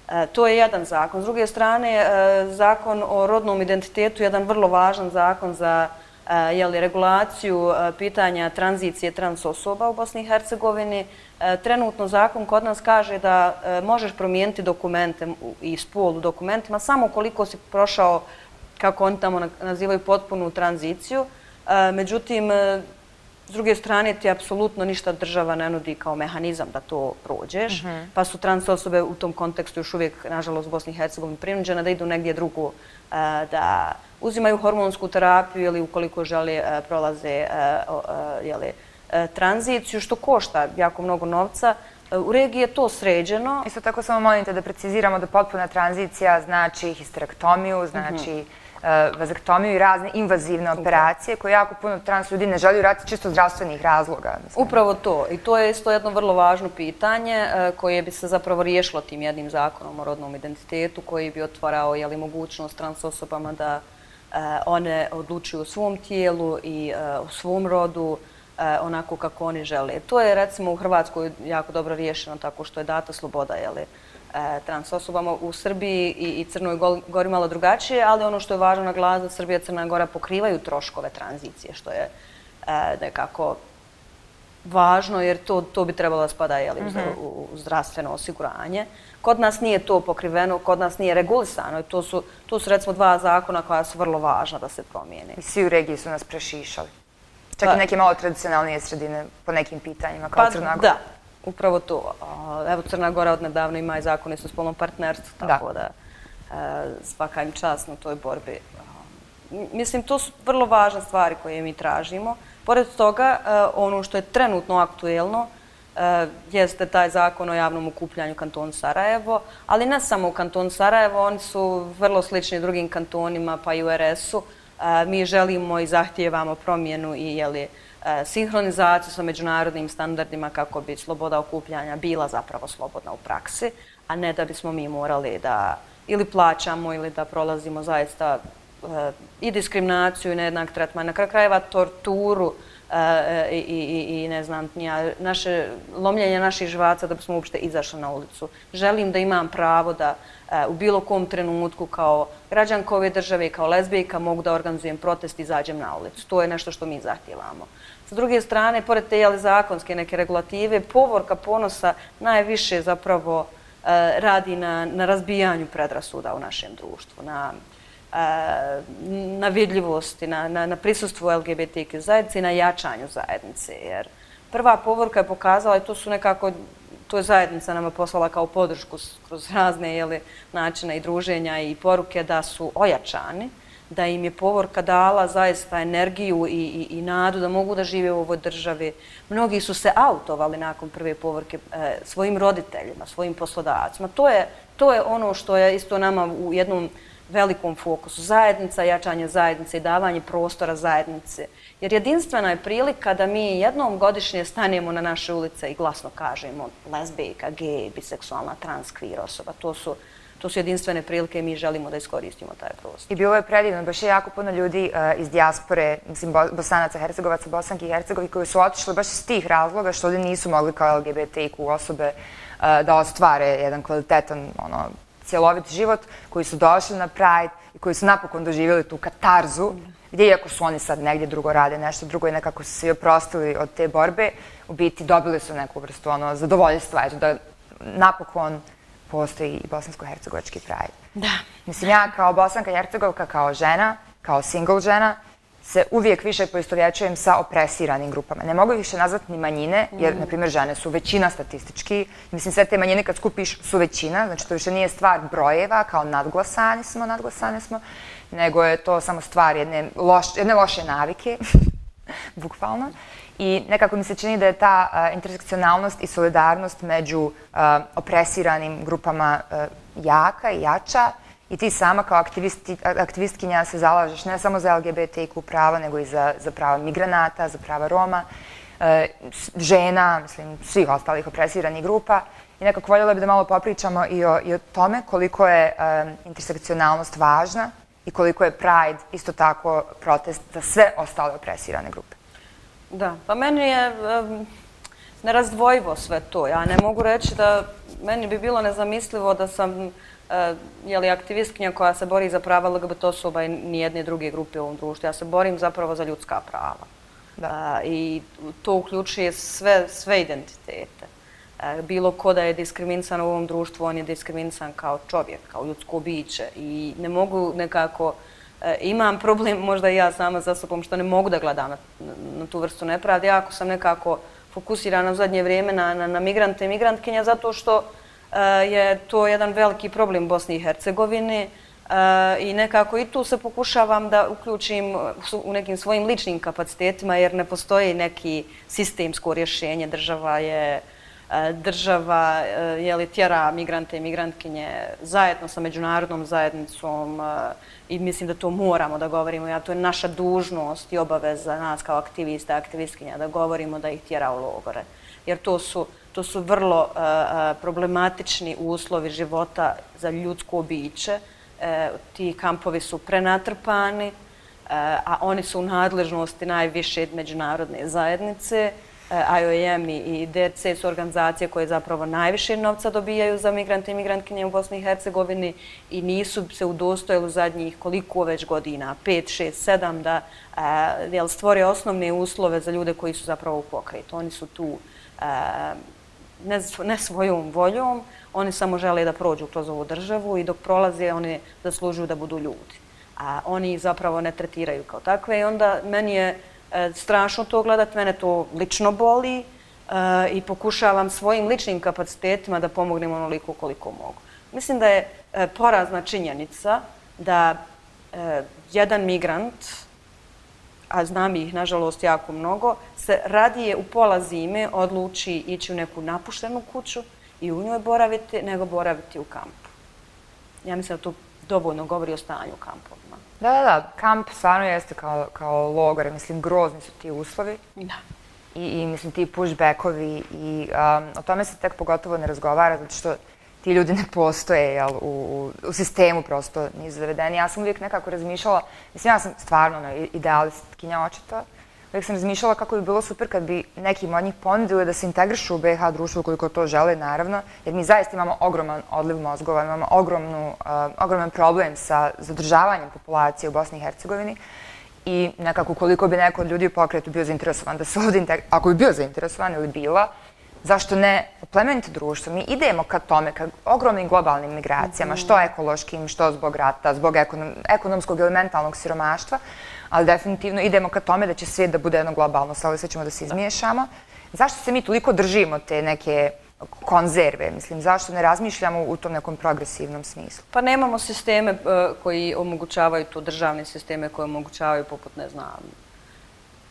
E, to je jedan zakon. S druge strane, e, zakon o rodnom identitetu je jedan vrlo važan zakon za e, jeli, regulaciju e, pitanja tranzicije trans osoba u Bosni i Hercegovini. E, trenutno zakon kod nas kaže da e, možeš promijeniti dokumente i spol u dokumentima samo koliko si prošao, kako oni tamo nazivaju, potpunu tranziciju. E, međutim, e, s druge strane ti apsolutno ništa država ne nudi kao mehanizam da to prođeš, mm-hmm. pa su trans osobe u tom kontekstu još uvijek, nažalost, u Bosni i Hercegovini prinuđene da idu negdje drugo, e, da uzimaju hormonsku terapiju ili ukoliko žele e, prolaze e, e, jeli, e, tranziciju, što košta jako mnogo novca. U regiji je to sređeno. Isto tako samo molim te da preciziramo da potpuna tranzicija znači histerektomiju, znači mm-hmm. vazektomiju i razne invazivne operacije koje jako puno trans ljudi ne želi uraditi čisto zdravstvenih razloga. Mislim. Upravo to. I to je isto jedno vrlo važno pitanje koje bi se zapravo riješilo tim jednim zakonom o rodnom identitetu koji bi otvarao jeli, mogućnost trans osobama da one odlučuju o svom tijelu i o svom rodu onako kako oni žele. To je recimo u Hrvatskoj jako dobro riješeno tako što je data sloboda jeli, trans osobama. U Srbiji i Crnoj Gori malo drugačije, ali ono što je važno naglasiti da Srbija i Crna Gora pokrivaju troškove tranzicije, što je nekako važno jer to, to bi trebalo da spada jeli, mm-hmm. u zdravstveno osiguranje. Kod nas nije to pokriveno, kod nas nije regulisano i to su, to su recimo dva zakona koja su vrlo važna da se promijene. I svi u regiji su nas prešišali. Čak pa, i neke malo tradicionalnije sredine po nekim pitanjima, kao pa, Crna Gora. Da, upravo to. Evo, Crna Gora odnedavno ima i zakone o spolnom partnerstvu, tako da, da svaka im čast na toj borbi. Mislim, to su vrlo važne stvari koje mi tražimo. Pored toga, ono što je trenutno aktuelno jeste taj zakon o javnom okupljanju kantonu Sarajevo, ali ne samo u kantonu Sarajevo, oni su vrlo slični drugim kantonima, pa i u er es-u. Mi želimo i zahtijevamo promjenu i jeli, sinhronizaciju sa međunarodnim standardima kako bi sloboda okupljanja bila zapravo slobodna u praksi, a ne da bismo mi morali da ili plaćamo ili da prolazimo zaista i diskriminaciju i nejednak tretman, na kraju krajeva torturu i, i, i ne znam, naše, lomljenje naših živaca da bismo uopšte izašli na ulicu. Želim da imam pravo da u bilo kom trenutku kao građanka ove države i kao lezbijka mogu da organizujem protest i izađem na ulicu. To je nešto što mi zahtijevamo. S druge strane, pored te jeli, zakonske neke regulative, Povorka ponosa najviše zapravo radi na, na razbijanju predrasuda u našem društvu, na na vidljivosti, na, na, na prisustvu el ge be te kju zajednice i na jačanju zajednice. Jer prva Povorka je pokazala, i to su nekako, to je zajednica nama poslala kao podršku kroz razne jeli, načine i druženja i poruke da su ojačani, da im je Povorka dala zaista energiju i, i, i nadu da mogu da žive u ovoj državi. Mnogi su se autovali nakon prve Povorke e, svojim roditeljima, svojim poslodavcima. To je, to je ono što je isto nama u jednom velikom fokusu. Zajednica, jačanje zajednice i davanje prostora zajednice. Jer jedinstvena je prilika da mi jednom godišnje stanemo na naše ulice i glasno kažemo lezbijka, gej, biseksualna, trans, queer osoba. To su, to su jedinstvene prilike i mi želimo da iskoristimo taj prostor. I bilo je predivno, baš je jako puno ljudi uh, iz dijaspore, mislim Bosanaca, Hercegovaca, Bosanki i Hercegovi koji su otišli baš iz tih razloga što ovdje nisu mogli kao el ge be te kju osobe uh, da ostvare jedan kvalitetan ono, cjelovit život, koji su došli na Pride i koji su napokon doživjeli tu katarzu, gdje iako su oni sad negdje drugo rade, nešto drugo i nekako su se oprostili od te borbe, u biti dobili su neku vrstu ono, zadovoljstva, eto, da napokon postoji i bosansko-hercegovački Pride. Da. Mislim, ja kao Bosanka i Hercegovka, kao žena, kao single žena, se uvijek više poistovjećujem sa opresiranim grupama. Ne mogu više nazvati ni manjine, jer, na primjer, žene su većina statistički. Mislim, sve te manjine kad skupiš su većina, znači to više nije stvar brojeva, kao nadglasani smo, nadglasane smo, nego je to samo stvar jedne, loš, jedne loše navike, bukvalno. I nekako mi se čini da je ta uh, intersekcionalnost i solidarnost među uh, opresiranim grupama uh, jaka i jača. I ti sama kao aktivistkinja se zalažeš ne samo za el ge be te kju prava, nego i za, za prava migranata, za prava Roma, e, žena, mislim, svih ostalih opresiranih grupa. I nekako voljela bi da malo popričamo i o, i o tome koliko je e, intersekcionalnost važna i koliko je Pride isto tako protest za sve ostale opresirane grupe. Da, pa meni je... Um... nerazdvojivo sve to. Ja ne mogu reći da meni bi bilo nezamislivo da sam jeli, aktivistkinja koja se bori za prava L G B T osoba i nijedne druge grupe u ovom društvu. Ja se borim zapravo za ljudska prava. Da. I to uključuje sve, sve identitete. Bilo ko da je diskriminisan u ovom društvu, on je diskriminisan kao čovjek, kao ljudsko biće. I ne mogu nekako, imam problem možda i ja sama za sobom što ne mogu da gledam na, na tu vrstu nepravde. Jako sam nekako fokusirana u zadnje vrijeme na, na, na migrante i migrantkinja zato što je to jedan veliki problem u Bosni i Hercegovini i nekako i tu se pokušavam da uključim u nekim svojim ličnim kapacitetima jer ne postoji neki sistemsko rješenje. Država je država je li tjera migrante i migrantkinje zajedno sa međunarodnom zajednicom i mislim da to moramo da govorimo. Ja, to je naša dužnost i obaveza nas kao aktivista i aktivistkinja da govorimo da ih tjera u logore. Jer to su To su vrlo uh, problematični uslovi života za ljudsko biće. Uh, ti kampovi su prenatrpani, uh, a oni su u nadležnosti najviše međunarodne zajednice. Uh, I O M i D C su organizacije koje zapravo najviše novca dobijaju za migrante i migrantkinje u Bosni i Hercegovini i nisu se udostojili u zadnjih koliko već godina, pet, šest, sedam, da uh, stvore osnovne uslove za ljude koji su zapravo u pokretu. Oni su tu uh, Ne, ne svojom voljom, oni samo žele da prođu kroz ovu državu i dok prolaze oni zaslužuju da budu ljudi. A oni ih zapravo ne tretiraju kao takve i onda meni je e, strašno to gledat, mene to lično boli e, i pokušavam svojim ličnim kapacitetima da pomognem onoliko koliko mogu. Mislim da je e, porazna činjenica da e, jedan migrant, a znam ih nažalost jako mnogo, se radije u pola zime odluči ići u neku napuštenu kuću i u njoj boraviti, nego boraviti u kampu. Ja mislim da to dovoljno govori o stanju u kampovima. Da, da, da. Kamp stvarno jeste kao, kao logor. Mislim, grozni su ti uslovi. Da. I, i mislim, ti pushbackovi. I um, o tome se tek pogotovo ne razgovara, zato što ti ljudi ne postoje jel, u, u sistemu, prosto nisu zavedeni. Ja sam uvijek nekako razmišljala, mislim, ja sam stvarno no, idealistkinja očito, uvijek sam razmišljala kako bi bilo super kad bi nekim od njih ponudili da se integrišu u B i H društvo koliko to žele, naravno, jer mi zaista imamo ogroman odliv mozgova, imamo ogromnu, uh, ogroman problem sa zadržavanjem populacije u Bosni i Hercegovini i nekako koliko bi neko od ljudi u pokretu bio zainteresovan da se ovdje integrišu, ako bi bio zainteresovan ili bila, zašto ne oplemeniti društvo? Mi idemo ka tome, ka ogromnim globalnim migracijama, što ekološkim, što zbog rata, zbog ekonom, ekonomskog ili mentalnog siromaštva, ali definitivno idemo ka tome da će svijet da bude jedno globalno, sa ovdje sve ćemo da se izmiješamo. Zašto se mi toliko držimo te neke konzerve? Mislim, zašto ne razmišljamo u tom nekom progresivnom smislu? Pa nemamo sisteme uh, koji omogućavaju tu, državne sisteme koje omogućavaju poput, ne znam,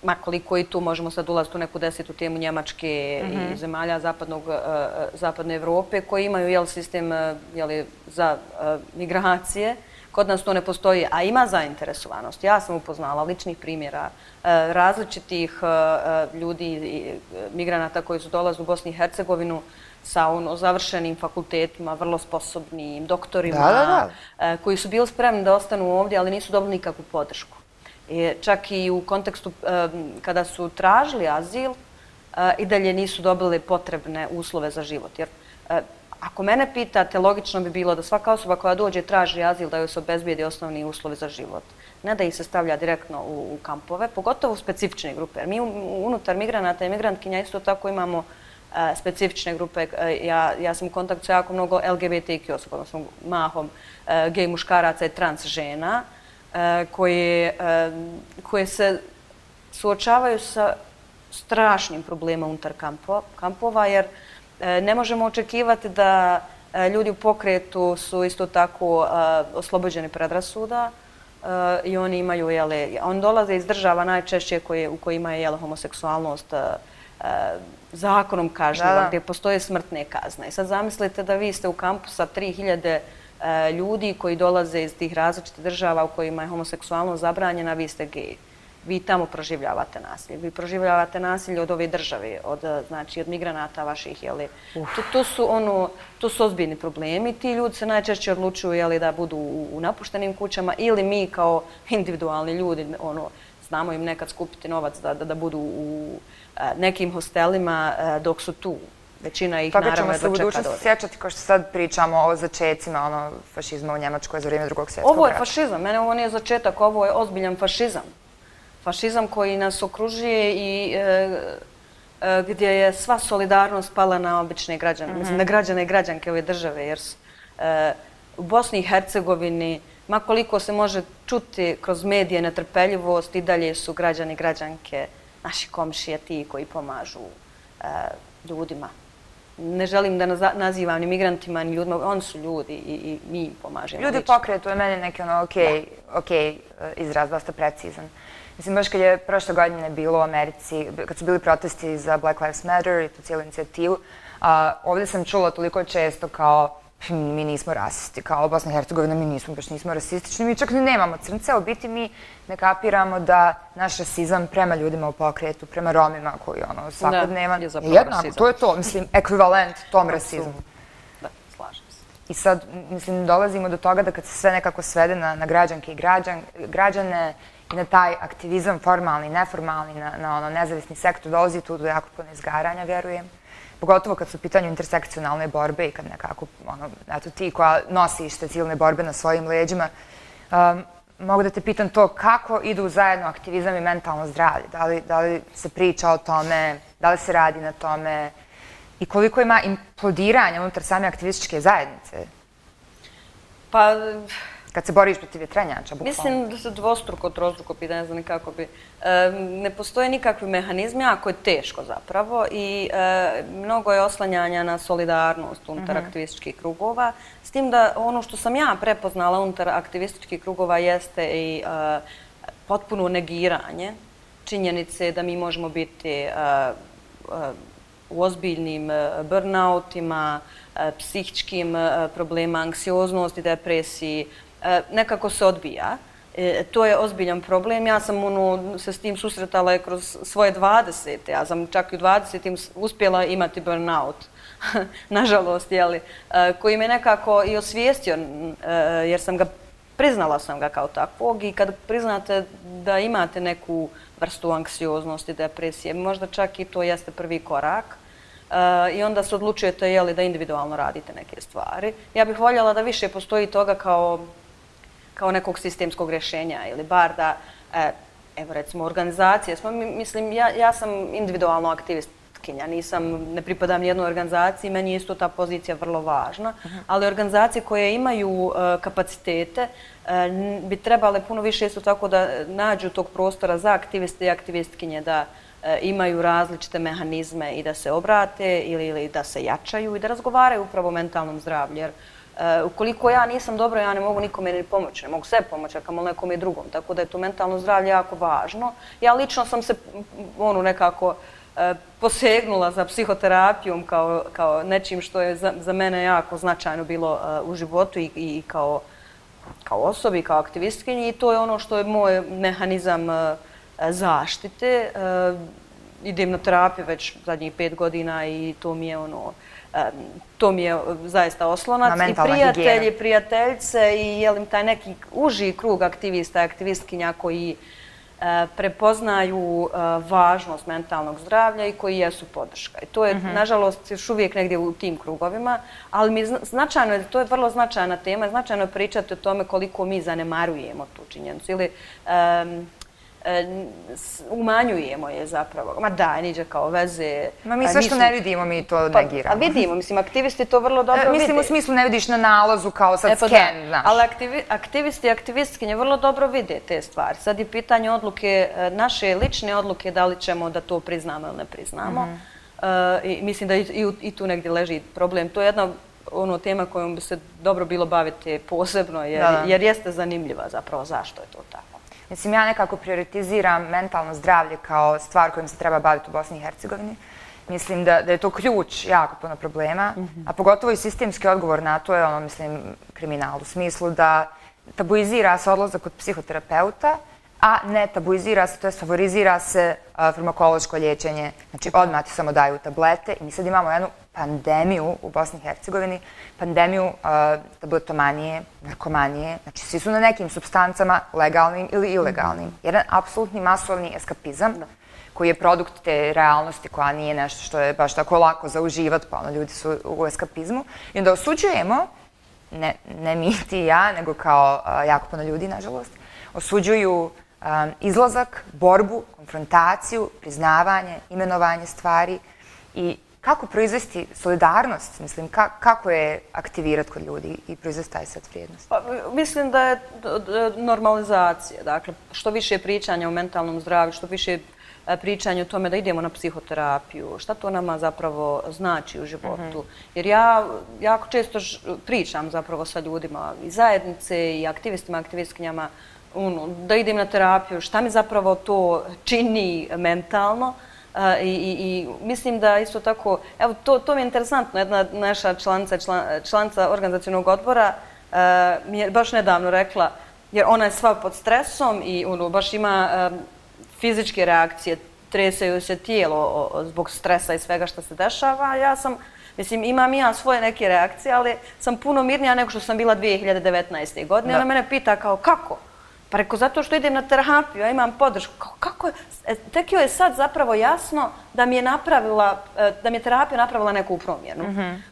ma koliko i tu možemo sad ulaziti u neku desetu temu Njemačke mm-hmm. i zemalja zapadnog, uh, zapadne Evrope koji imaju jel, sistem uh, jel, za uh, migracije. Kod nas to ne postoji, a ima zainteresovanost. Ja sam upoznala ličnih primjera uh, različitih uh, ljudi i migranata koji su dolazili u Bosni i Hercegovinu sa ono, završenim fakultetima, vrlo sposobnim doktorima, da, da, da. Uh, koji su bili spremni da ostanu ovdje, ali nisu dobili nikakvu podršku. I čak i u kontekstu um, kada su tražili azil, uh, i dalje nisu dobili potrebne uslove za život. Jer uh, ako mene pitate, logično bi bilo da svaka osoba koja dođe traži azil da joj se obezbijedi osnovni uslovi za život. Ne da ih se stavlja direktno u, u kampove, pogotovo u specifične grupe. Jer mi unutar migranata i migrantkinja isto tako imamo uh, specifične grupe. Uh, ja, ja sam u kontaktu sa jako mnogo L G B T Q osoba, odnosno mahom uh, gej muškaraca i trans žena, Koje, koje se suočavaju sa strašnim problemom unutar kampova, jer ne možemo očekivati da ljudi u pokretu su isto tako oslobođeni predrasuda i oni imaju, jele, on dolaze iz država najčešće koje, u kojima je jele, homoseksualnost zakonom kažnjiva, gdje postoje smrtne kazne. I sad zamislite da vi ste u kampu sa tri hiljade ljudi koji dolaze iz tih različitih država u kojima je homoseksualnost zabranjena, vi ste gej. Vi tamo proživljavate nasilje. Vi proživljavate nasilje od ove države, od, znači, od migranata vaših. Jeli. To, to, su ono, to su ozbiljni problemi. Ti ljudi se najčešće odlučuju jeli, da budu u, u napuštenim kućama ili mi kao individualni ljudi ono, znamo im nekad skupiti novac da, da, da budu u nekim hostelima dok su tu. Većina ih Toga naravno ćemo se u budućnosti sjećati, kao što sad pričamo o začecima ono, fašizma u Njemačkoj za vrijeme drugog svjetskog rata. Ovo je fašizam, mene ovo nije začetak, ovo je ozbiljan fašizam. Fašizam koji nas okružuje i e, e, gdje je sva solidarnost pala na obične građane, mm-hmm. mislim na građane i građanke ove države, jer e, u Bosni i Hercegovini, ma koliko se može čuti kroz medije netrpeljivost, i dalje su građani i građanke, naši komšije, ti koji pomažu e, ljudima. Ne želim da nazivam ni migrantima, ni ljudima, oni su ljudi i, i mi im pomažemo. Ljudi pokretu je meni neki ono ok, ok izraz, dosta precizan. Mislim, baš kad je prošle godine bilo u Americi, kad su bili protesti za Black Lives Matter i tu cijelu inicijativu, a, ovdje sam čula toliko često kao mi nismo rasisti, kao Bosna i Hercegovina, mi nismo, baš nismo rasistični, mi čak ni nemamo crnce, u biti mi ne kapiramo da naš rasizam prema ljudima u pokretu, prema Romima koji ono svakodnevan, je jednako, to je to, mislim, ekvivalent tom rasizmu. Da, slažem se. I sad, mislim, dolazimo do toga da kad se sve nekako svede na, na građanke i građan, građane i na taj aktivizam formalni, neformalni, na, na ono nezavisni sektor, dolazi tu do jako puno izgaranja, vjerujem. Pogotovo kad su u pitanju intersekcionalne borbe i kad nekako, ono, eto ti koja nosiš te civilne borbe na svojim leđima, um, mogu da te pitam to kako idu zajedno aktivizam i mentalno zdravlje. Da li, da li se priča o tome, da li se radi na tome i koliko ima implodiranja unutar same aktivističke zajednice? Pa... Kad se boriš protiv vjetrenjača, bukvalno. Mislim da se dvostruko, trostruko pitanje, ne znam nikako bi. E, ne postoje nikakvi mehanizmi, ako je teško zapravo i e, mnogo je oslanjanja na solidarnost unutar mm-hmm. aktivističkih krugova. S tim da ono što sam ja prepoznala unutar aktivističkih krugova jeste i e, potpuno negiranje činjenice da mi možemo biti e, e, u ozbiljnim burnoutima, e, psihičkim e, problema, anksioznosti, depresiji, nekako se odbija. E, to je ozbiljan problem. Ja sam ono, se s tim susretala kroz svoje dvadesete. Ja sam čak i u dvadesetim uspjela imati burnout, nažalost, jeli, e, koji me nekako i osvijestio, e, jer sam ga, priznala sam ga kao takvog i kad priznate da imate neku vrstu anksioznosti, depresije, možda čak i to jeste prvi korak. Uh, i onda se odlučujete jeli, da individualno radite neke stvari. Ja bih voljela da više postoji toga kao, kao nekog sistemskog rješenja ili bar da, eh, evo recimo, organizacije. Smo, mislim, ja, ja sam individualno aktivistkinja, nisam, ne pripadam nijednoj organizaciji, meni je isto ta pozicija vrlo važna, uh-huh. ali organizacije koje imaju uh, kapacitete uh, bi trebale puno više isto tako da nađu tog prostora za aktiviste i aktivistkinje da imaju različite mehanizme i da se obrate ili, ili da se jačaju i da razgovaraju upravo o mentalnom zdravlju. Jer uh, ukoliko ja nisam dobro, ja ne mogu nikome ni pomoći, ne mogu sebi pomoći, a kamoli nekom i drugom. Tako da je to mentalno zdravlje jako važno. Ja lično sam se ono nekako uh, posegnula za psihoterapijom kao, kao nečim što je za, za mene jako značajno bilo uh, u životu i, i kao, kao osobi, kao aktivistkinji i to je ono što je moj mehanizam uh, zaštite. Uh, idem na terapiju već zadnjih pet godina i to mi je ono, um, to mi je zaista oslonac. I prijatelji, higijena. Prijateljce i jelim taj neki uži krug aktivista i aktivistkinja koji uh, prepoznaju uh, važnost mentalnog zdravlja i koji jesu podrška. I to je, mm-hmm. nažalost, još uvijek negdje u tim krugovima, ali mi značajno je, to je vrlo značajna tema, značajno je pričati o tome koliko mi zanemarujemo tu činjenicu ili um, umanjujemo je zapravo. Ma da, niđe kao veze. Ma mi sve što ne vidimo, mi to pa, negiramo. A vidimo, mislim, aktivisti to vrlo dobro e, vide. Mislim, u smislu ne vidiš na nalazu kao sad e, pa scan, da. Znaš. Ali aktivi, aktivisti i aktivistkinje vrlo dobro vide te stvari. Sad je pitanje odluke, naše lične odluke, da li ćemo da to priznamo ili ne priznamo. Mm-hmm. uh, i mislim da i, i, i tu negdje leži problem. To je jedna ono, tema kojom bi se dobro bilo baviti posebno, jer, da, da. jer jeste zanimljiva zapravo zašto je to tako. Mislim, ja nekako prioritiziram mentalno zdravlje kao stvar kojom se treba baviti u Bosni i Hercegovini. Mislim da, da je to ključ jako puno problema, mm-hmm. a pogotovo i sistemski odgovor na to je, ono, mislim, kriminal u smislu da tabuizira se odlazak kod psihoterapeuta, a ne tabuizira se, to jest favorizira se farmakološko liječenje, znači odmah ti samo daju tablete i mi sad imamo jednu pandemiju u Bosni i Hercegovini, pandemiju tabletomanije, narkomanije, znači svi su na nekim supstancama legalnim ili ilegalnim. Jedan apsolutni masovni eskapizam koji je produkt te realnosti koja nije nešto što je baš tako lako za uživat, pa ono ljudi su u eskapizmu i onda osuđujemo, ne mi ti i ja, nego kao jako puno ljudi, nažalost, osuđuju izlazak, borbu, konfrontaciju, priznavanje, imenovanje stvari i kako proizvesti solidarnost, mislim, kako je aktivirati kod ljudi i proizvesti taj set vrijednosti? Mislim da je normalizacija, dakle, što više pričanja o mentalnom zdravlju, što više pričanje o tome da idemo na psihoterapiju, šta to nama zapravo znači u životu. Jer ja jako često pričam zapravo sa ljudima iz zajednice i aktivistima, aktivistkinjama, da idem na terapiju, šta mi zapravo to čini mentalno. I mislim da isto tako, evo to mi je interesantno, jedna naša članica organizacionog odbora mi je baš nedavno rekla, jer ona je sva pod stresom i baš ima fizičke reakcije, treseju se tijelo zbog stresa i svega što se dešava. Ja sam, mislim, imam i ja svoje neke reakcije, ali sam puno mirnija nego što sam bila dvije hiljade devetnaeste. godine. Ona mene pita kao kako? Pa reko, zato što idem na terapiju, ja imam podršku. Kako je? Tek joj je sad zapravo jasno da mi je napravila, da mi je terapija napravila neku promjenu.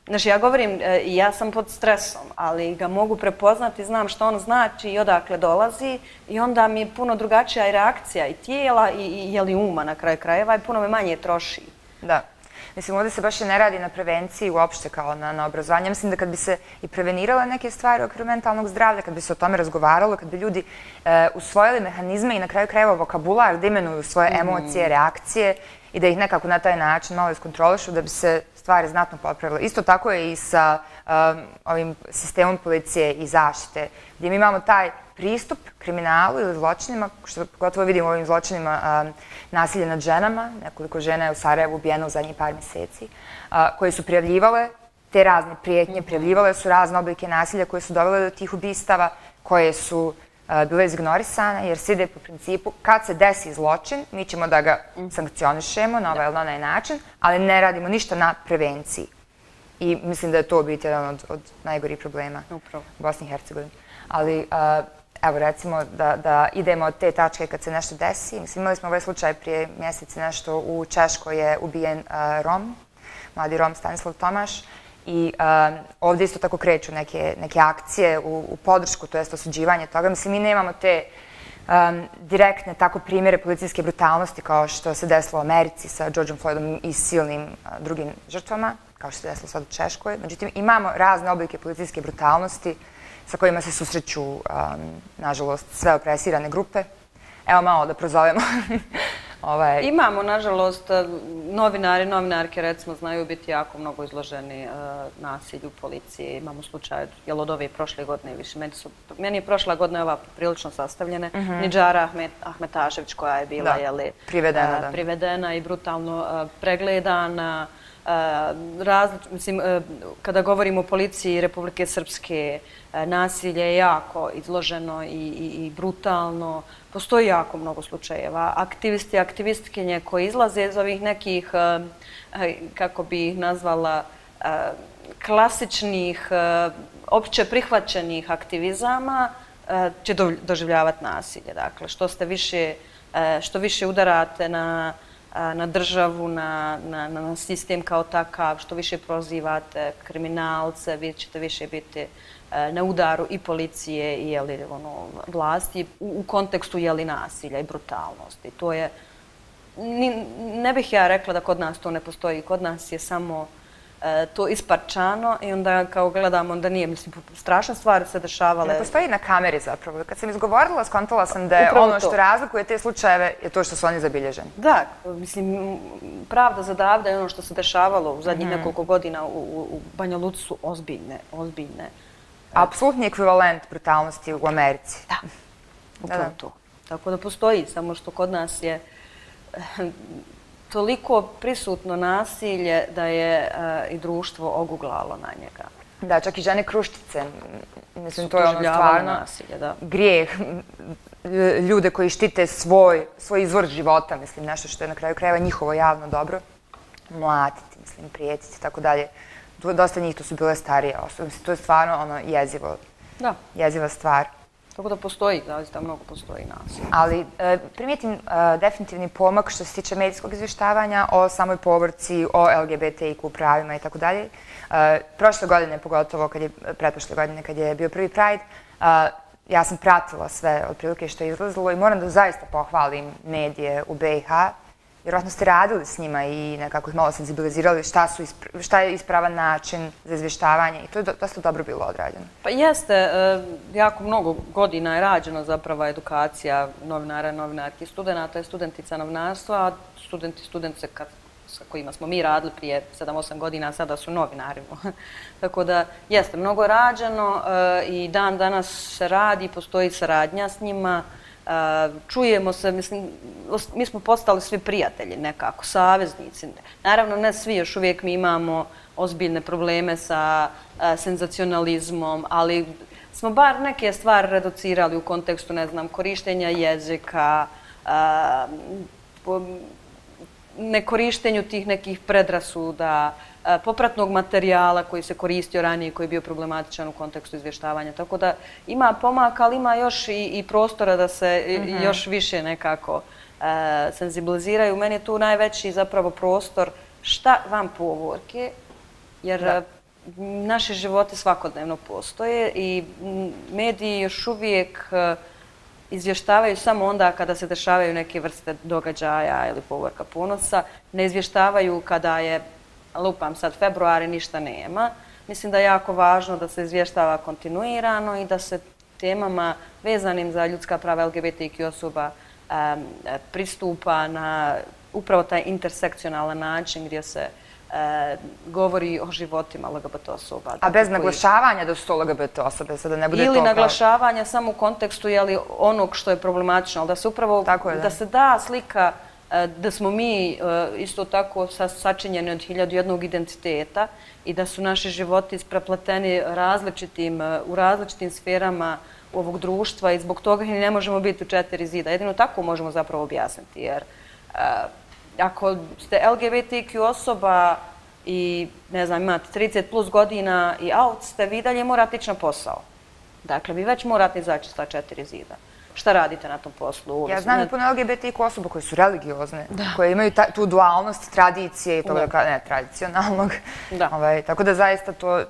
Znači, ja govorim, ja sam pod stresom, ali ga mogu prepoznati, znam što on znači i odakle dolazi i onda mi je puno drugačija i reakcija i tijela i uma na kraju krajeva i puno me manje troši. Da. Mislim, ovdje se baš i ne radi na prevenciji uopšte kao na obrazovanju. Mislim da kad bi se i prevenirale neke stvari u okviru mentalnog zdravlja, kad bi se o tome razgovaralo, kad bi ljudi usvojili mehanizme i na kraju krajeva vokabular da imenuju svoje emocije, reakcije i da ih nekako na taj način malo iskontrolišu da bi se stvari znatno popravile. Isto tako je i sa ovim sistemom policije i zaštite, gdje mi imamo taj pristup kriminalu ili zločinima, što gotovo vidimo u ovim zločinima nasilje nad ženama, nekoliko žena je u Sarajevu ubijeno u zadnjih par mjeseci, koje su prijavljivale te razne prijetnje, prijavljivale su razne oblike nasilja koje su dovele do tih ubistava, koje su bile izignorisane, jer se ide po principu kad se desi zločin, mi ćemo da ga sankcionišemo na ovaj ili onaj način, ali ne radimo ništa na prevenciji. I mislim da je to biti jedan od najgorih problema u Bosni i Hercegovini. Ali, evo, recimo da idemo od te tačke kad se nešto desi. Mislim, imali smo ovaj slučaj prije mjeseci nešto u Češkoj je ubijen Rom, mladi Rom Stanislav Tomaš. I ovdje isto tako kreću neke akcije u podršku, to jest osuđivanje toga. Mislim, mi nemamo te direktne tako primjere policijske brutalnosti kao što se desilo u Americi sa Georgeom Floydom i silnim drugim žrtvama, kao što se desilo sad u Češkoj. Međutim, imamo razne oblike policijske brutalnosti sa kojima se susreću, nažalost, sve opresirane grupe. Evo malo da prozovemo. Imamo, nažalost, novinari, novinarke, recimo, znaju biti jako mnogo izloženi nasilju policije. Imamo slučaj, jel od ove prošle godine više. Meni je prošla godina ova prilično sastavljena. Nidžara Ahmetašević koja je bila privedena i brutalno pregledana. Mislim, kada govorimo o policiji Republike Srpske, nasilje je jako izloženo i brutalno. Postoji jako mnogo slučajeva. Aktivisti i aktivistkinje koji izlaze iz ovih nekih, kako bi ih nazvala, klasičnih, opće prihvaćenih aktivizama će doživljavati nasilje. Dakle, što više udarate na na državu, na sistem kao takav, što više prozivate kriminalce, vi ćete više biti na udaru i policije i vlasti u kontekstu nasilja i brutalnosti. To je, ne bih ja rekla da kod nas to ne postoji, kod nas je samo to isparčano i onda kao gledamo, onda nije, mislim, strašne stvari se dešavale. Ne postoji na kameri zapravo. Kad sam izgovorila, skontala sam da je ono što razlikuje te slučajeve je to što su oni zabilježeni. Da, mislim, pravda za davda je ono što se dešavalo u zadnjih nekoliko godina u Banja Luci su ozbiljne, ozbiljne. Apsolutni ekvivalent brutalnosti u Americi. Da, upravo to. Tako da postoji, samo što kod nas je toliko prisutno nasilje da je i društvo oguglalo na njega. Da, čak i žene kruščice. Mislim, to je ono stvarno grijeh. Ljude koji štite svoj, svoj izvor života, mislim, nešto što je na kraju krajeva njihovo javno dobro. Mlatiti, mislim, prijetiti i tako dalje. Dosta njih to su bile starije osobe. Mislim, to je stvarno ono jezivo. Da. Jeziva stvar. Tako da postoji, zaista mnogo postoji nas. Ali primijetim definitivni pomak što se tiče medijskog izvještavanja o samoj povorci, o L G B T I Q pravima i tako dalje. Prošle godine, pogotovo pretprošle godine kad je bio prvi Pride, ja sam pratila sve otprilike što je izlazilo i moram da zaista pohvalim medije u B i H. Vjerojatno ste radili s njima i nekako ih malo senzibilizirali šta je ispravan način za izvještavanje i to je dosta dobro bilo odrađeno. Pa jeste, jako mnogo godina je rađena zapravo edukacija novinara, novinarki, studenta i studentica novinarstva, a studenti i studentice sa kojima smo mi radili prije sedam osam godina, sada su novinari. Tako da jeste, mnogo je rađeno i dan danas se radi, postoji saradnja s njima. Čujemo se, mislim, mi smo postali svi prijatelji nekako, saveznici. Naravno, ne svi, još uvijek mi imamo ozbiljne probleme sa senzacionalizmom, ali smo bar neke stvari reducirali u kontekstu, ne znam, korištenja jezika, nekorištenju tih nekih predrasuda, popratnog materijala koji se koristio ranije, koji je bio problematičan u kontekstu izvještavanja. Tako da ima pomaka, ali ima još i prostora da se još više nekako senzibiliziraju. Meni je tu najveći zapravo prostor šta vam povorke, jer naše živote svakodnevno postoje i mediji još uvijek izvještavaju samo onda kada se dešavaju neke vrste događaja ili povorka ponosa. Ne izvještavaju kada je, lupam sad, februar i ništa nema. Mislim da je jako važno da se izvještava kontinuirano i da se temama vezanim za ljudska prava L G B T I Q osoba pristupa na upravo taj intersekcionalan način gdje se govori o životima L G B T osoba. A bez naglašavanja da su to L G B T osobe, sada ne bude to ili naglašavanja samo u kontekstu onog što je problematično, ali da se upravo, da se da slika da smo mi isto tako sačinjeni od hiljadu jednog identiteta i da su naši životi isprepleteni u različitim sferama ovog društva i zbog toga ne možemo biti u četiri zida. Jedino tako možemo zapravo objasniti, jer ako ste L G B T I Q osoba i, ne znam, imate trideset plus godina i out ste, vi dalje morate ići na posao. Dakle, vi već morate izaći sa četiri zida. Šta radite na tom poslu? Ja znam puno L G B T I Q osoba koje su religiozne, koje imaju tu dualnost tradicije i toga, ne, tradicionalnog. Tako da zaista to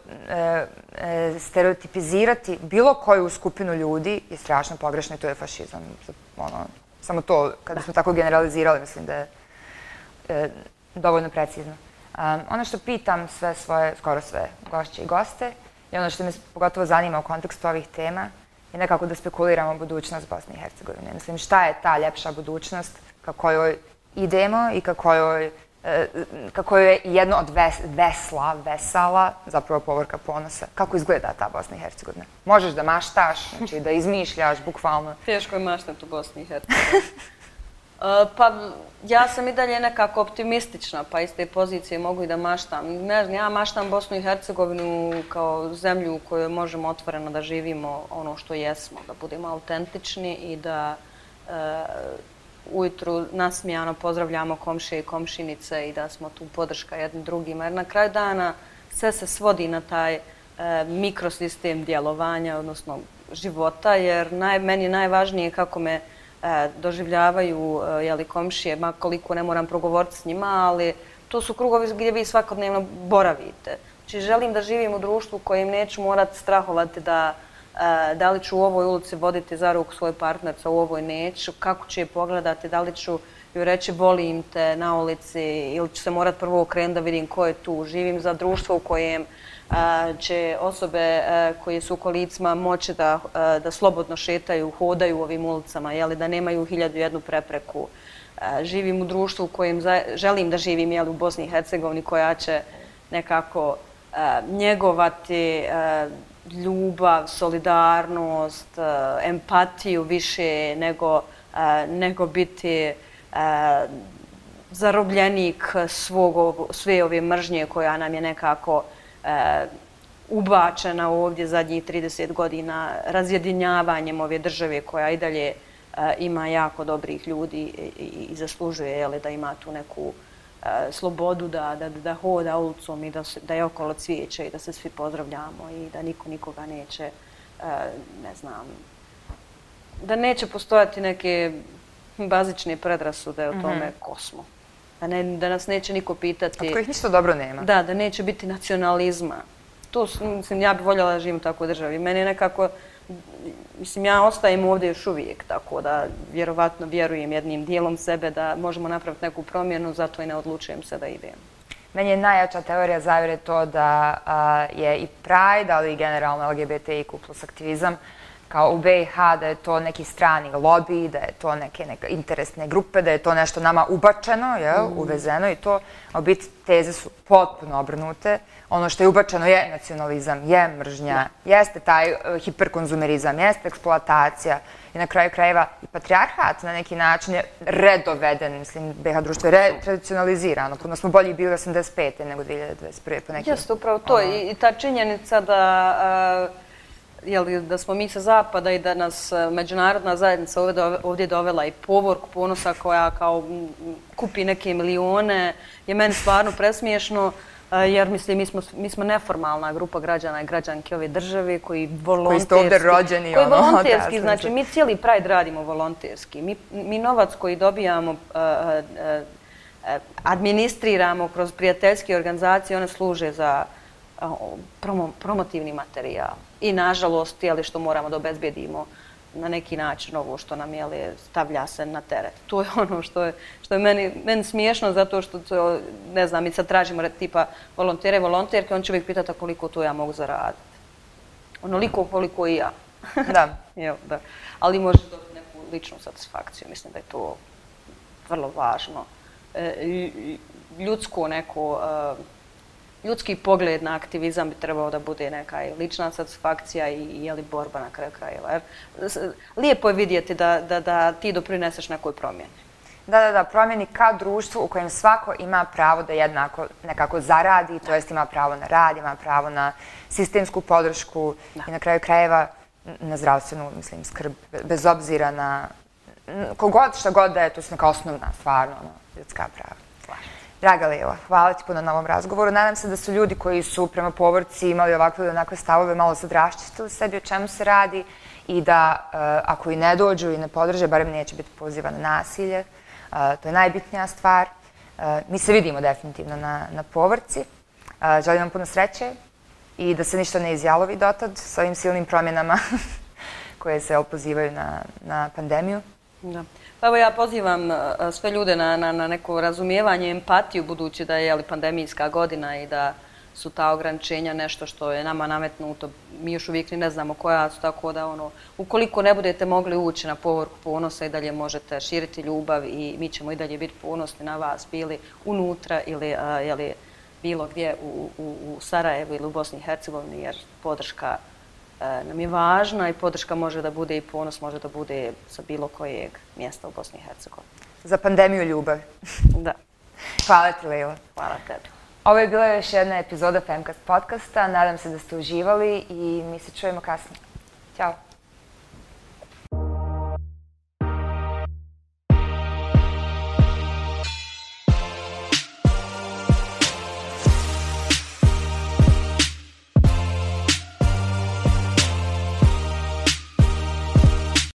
stereotipizirati bilo koju skupinu ljudi je strašno pogrešno i to je fašizam. Samo to, kada smo tako generalizirali, mislim da je dovoljno precizno. Ono što pitam sve svoje, skoro sve gošće i goste i ono što me pogotovo zanima u kontekstu ovih tema je nekako da spekuliramo budućnost Bosne i Hercegovine. Mislim, šta je ta ljepša budućnost ka kojoj idemo i ka kojoj je jedno od vesla, vesala, zapravo povorka ponosa. Kako izgleda ta Bosna i Hercegovina? Možeš da maštaš, znači da izmišljaš, bukvalno. Teško je maštati u Bosni i Hercegovini. Pa ja sam i dalje nekako optimistična, pa iz te pozicije mogu i da maštam. Ne znam, ja maštam Bosnu i Hercegovinu kao zemlju u kojoj možemo otvoreno da živimo ono što jesmo, da budemo autentični i da ujutru nasmijano pozdravljamo komšije i komšinice i da smo tu podrška jednim drugima. Jer na kraju dana sve se svodi na taj mikrosistem djelovanja, odnosno života, jer meni je najvažnije kako me doživljavaju komšije, makoliko ne moram progovoriti s njima, ali to su krugovi gdje vi svakodnevno boravite. Znači, želim da živim u društvu kojem neću morati strahovati da li ću u ovoj ulici voditi za ruku svoju partnercu, u ovoj neću, kako ću je pogledati, da li ću joj reći volim te na ulici ili ću se morati prvo okrenuti da vidim ko je tu. Živim za društvo u kojem će osobe koje su u kolicima moći da slobodno šetaju, hodaju u ovim ulicama, da nemaju hiljadu jednu prepreku. Živim u društvu u kojem želim da živim u Bosni i Hercegovini, koja će nekako njegovati ljubav, solidarnost, empatiju više nego biti zarobljenik sve ove mržnje koja nam je nekako ubačena ovdje zadnjih trideset godina razjedinjavanjem ove države koja i dalje ima jako dobrih ljudi i zaslužuje da ima tu neku slobodu da hoda ulicom i da je okolo cvijeće i da se svi pozdravljamo i da niko nikoga neće, ne znam, da neće postojati neke bazične predrasude o tome ko smo. Da nas neće niko pitati... Od kojih ništa dobro nema. Da, da neće biti nacionalizma. To, mislim, ja bih voljela da živim u takvoj državi. Meni je nekako... Mislim, ja ostajem ovdje još uvijek, tako da vjerovatno vjerujem jednim dijelom sebe da možemo napraviti neku promjenu, zato i ne odlučujem se da idem. Meni je najjača teorija zavjere to da je i Pride, ali i generalno L G B T I Q plus aktivizam, kao u B i H, da je to neki strani lobby, da je to neke interesne grupe, da je to nešto nama ubačeno, uvezeno i to, a u biti teze su potpuno obrnute. Ono što je ubačeno je nacionalizam, je mržnja, jeste taj hiperkonzumerizam, jeste eksploatacija i na kraju krajeva i patrijarhat na neki način je redoveden, mislim, B i H društvo je retradicionalizirano. Puno smo bolji bili osamdeset pete nego dvije hiljade dvadeset prve po nekim... Jeste, upravo to i ta činjenica da... da smo mi sa zapada i da nas međunarodna zajednica ovdje dovela i Povorku Ponosa koja kao kupi neke milione, je meni stvarno presmiješno, jer mislim, mi smo neformalna grupa građana i građanke ove države koji volonterski... Koji ste ovdje rođeni. Koji volonterski, znači mi cijeli Pride radimo volonterski. Mi novac koji dobijamo, administriramo kroz prijateljske organizacije, one služe za promotivni materijal. I nažalost, što moramo da obezbedimo na neki način ovo što nam stavlja se na teret. To je ono što je meni smiješno zato što, ne znam, mi sad tražimo tipa volontere, volonterke, on će uvijek pitati koliko to ja mogu zaraditi. Onoliko koliko i ja. Da. Ali može dobiti neku ličnu satisfakciju. Mislim da je to vrlo važno. Ljudsko neko... Ljudski pogled na aktivizam bi trebao da bude neka lična satisfakcija i borba na kraju krajeva. Lijepo je vidjeti da ti doprineseš nekoj promjeni. Da, da, da, promjeni ka društvu u kojem svako ima pravo da jednako nekako zaradi, to jest ima pravo na rad, ima pravo na sistemsku podršku i na kraju krajeva na zdravstvenu, mislim, skrb, bez obzira na kogod, šta god da je, to su neka osnovna, stvarno, ljudska prava. Draga Lila, hvala ti puno na ovom razgovoru. Nadam se da su ljudi koji su prema Povorci imali ovakve ili onakve stavove malo sad raščistili sebi o čemu se radi i da ako i ne dođu i ne podrže, barem neće biti poziva na nasilje. To je najbitnija stvar. Mi se vidimo definitivno na Povorci. Želim vam puno sreće i da se ništa ne izjalovi dotad s ovim silnim promjenama koje se opozivaju na pandemiju. Da. Pa evo ja pozivam sve ljude na neko razumijevanje, empatiju, budući da je pandemijska godina i da su ta ograničenja nešto što je nama nametnuto. Mi još uvijek ni ne znamo koja su, tako da ono, ukoliko ne budete mogli ući na Povorku Ponosa i dalje možete širiti ljubav i mi ćemo i dalje biti ponosni na vas, bili unutra ili bilo gdje u Sarajevu ili u Bosni i Hercegovini, jer podrška nam je važna i podrška može da bude i ponos, može da bude sa bilo kojeg mjesta u Bosni i Hercegovini. Za pandemiju ljubavi. Da. Hvala ti, Lila. Hvala tebi. Ovo je bila još jedna epizoda Femcast podcasta. Nadam se da ste uživali i mi se čujemo kasnije. Ćao.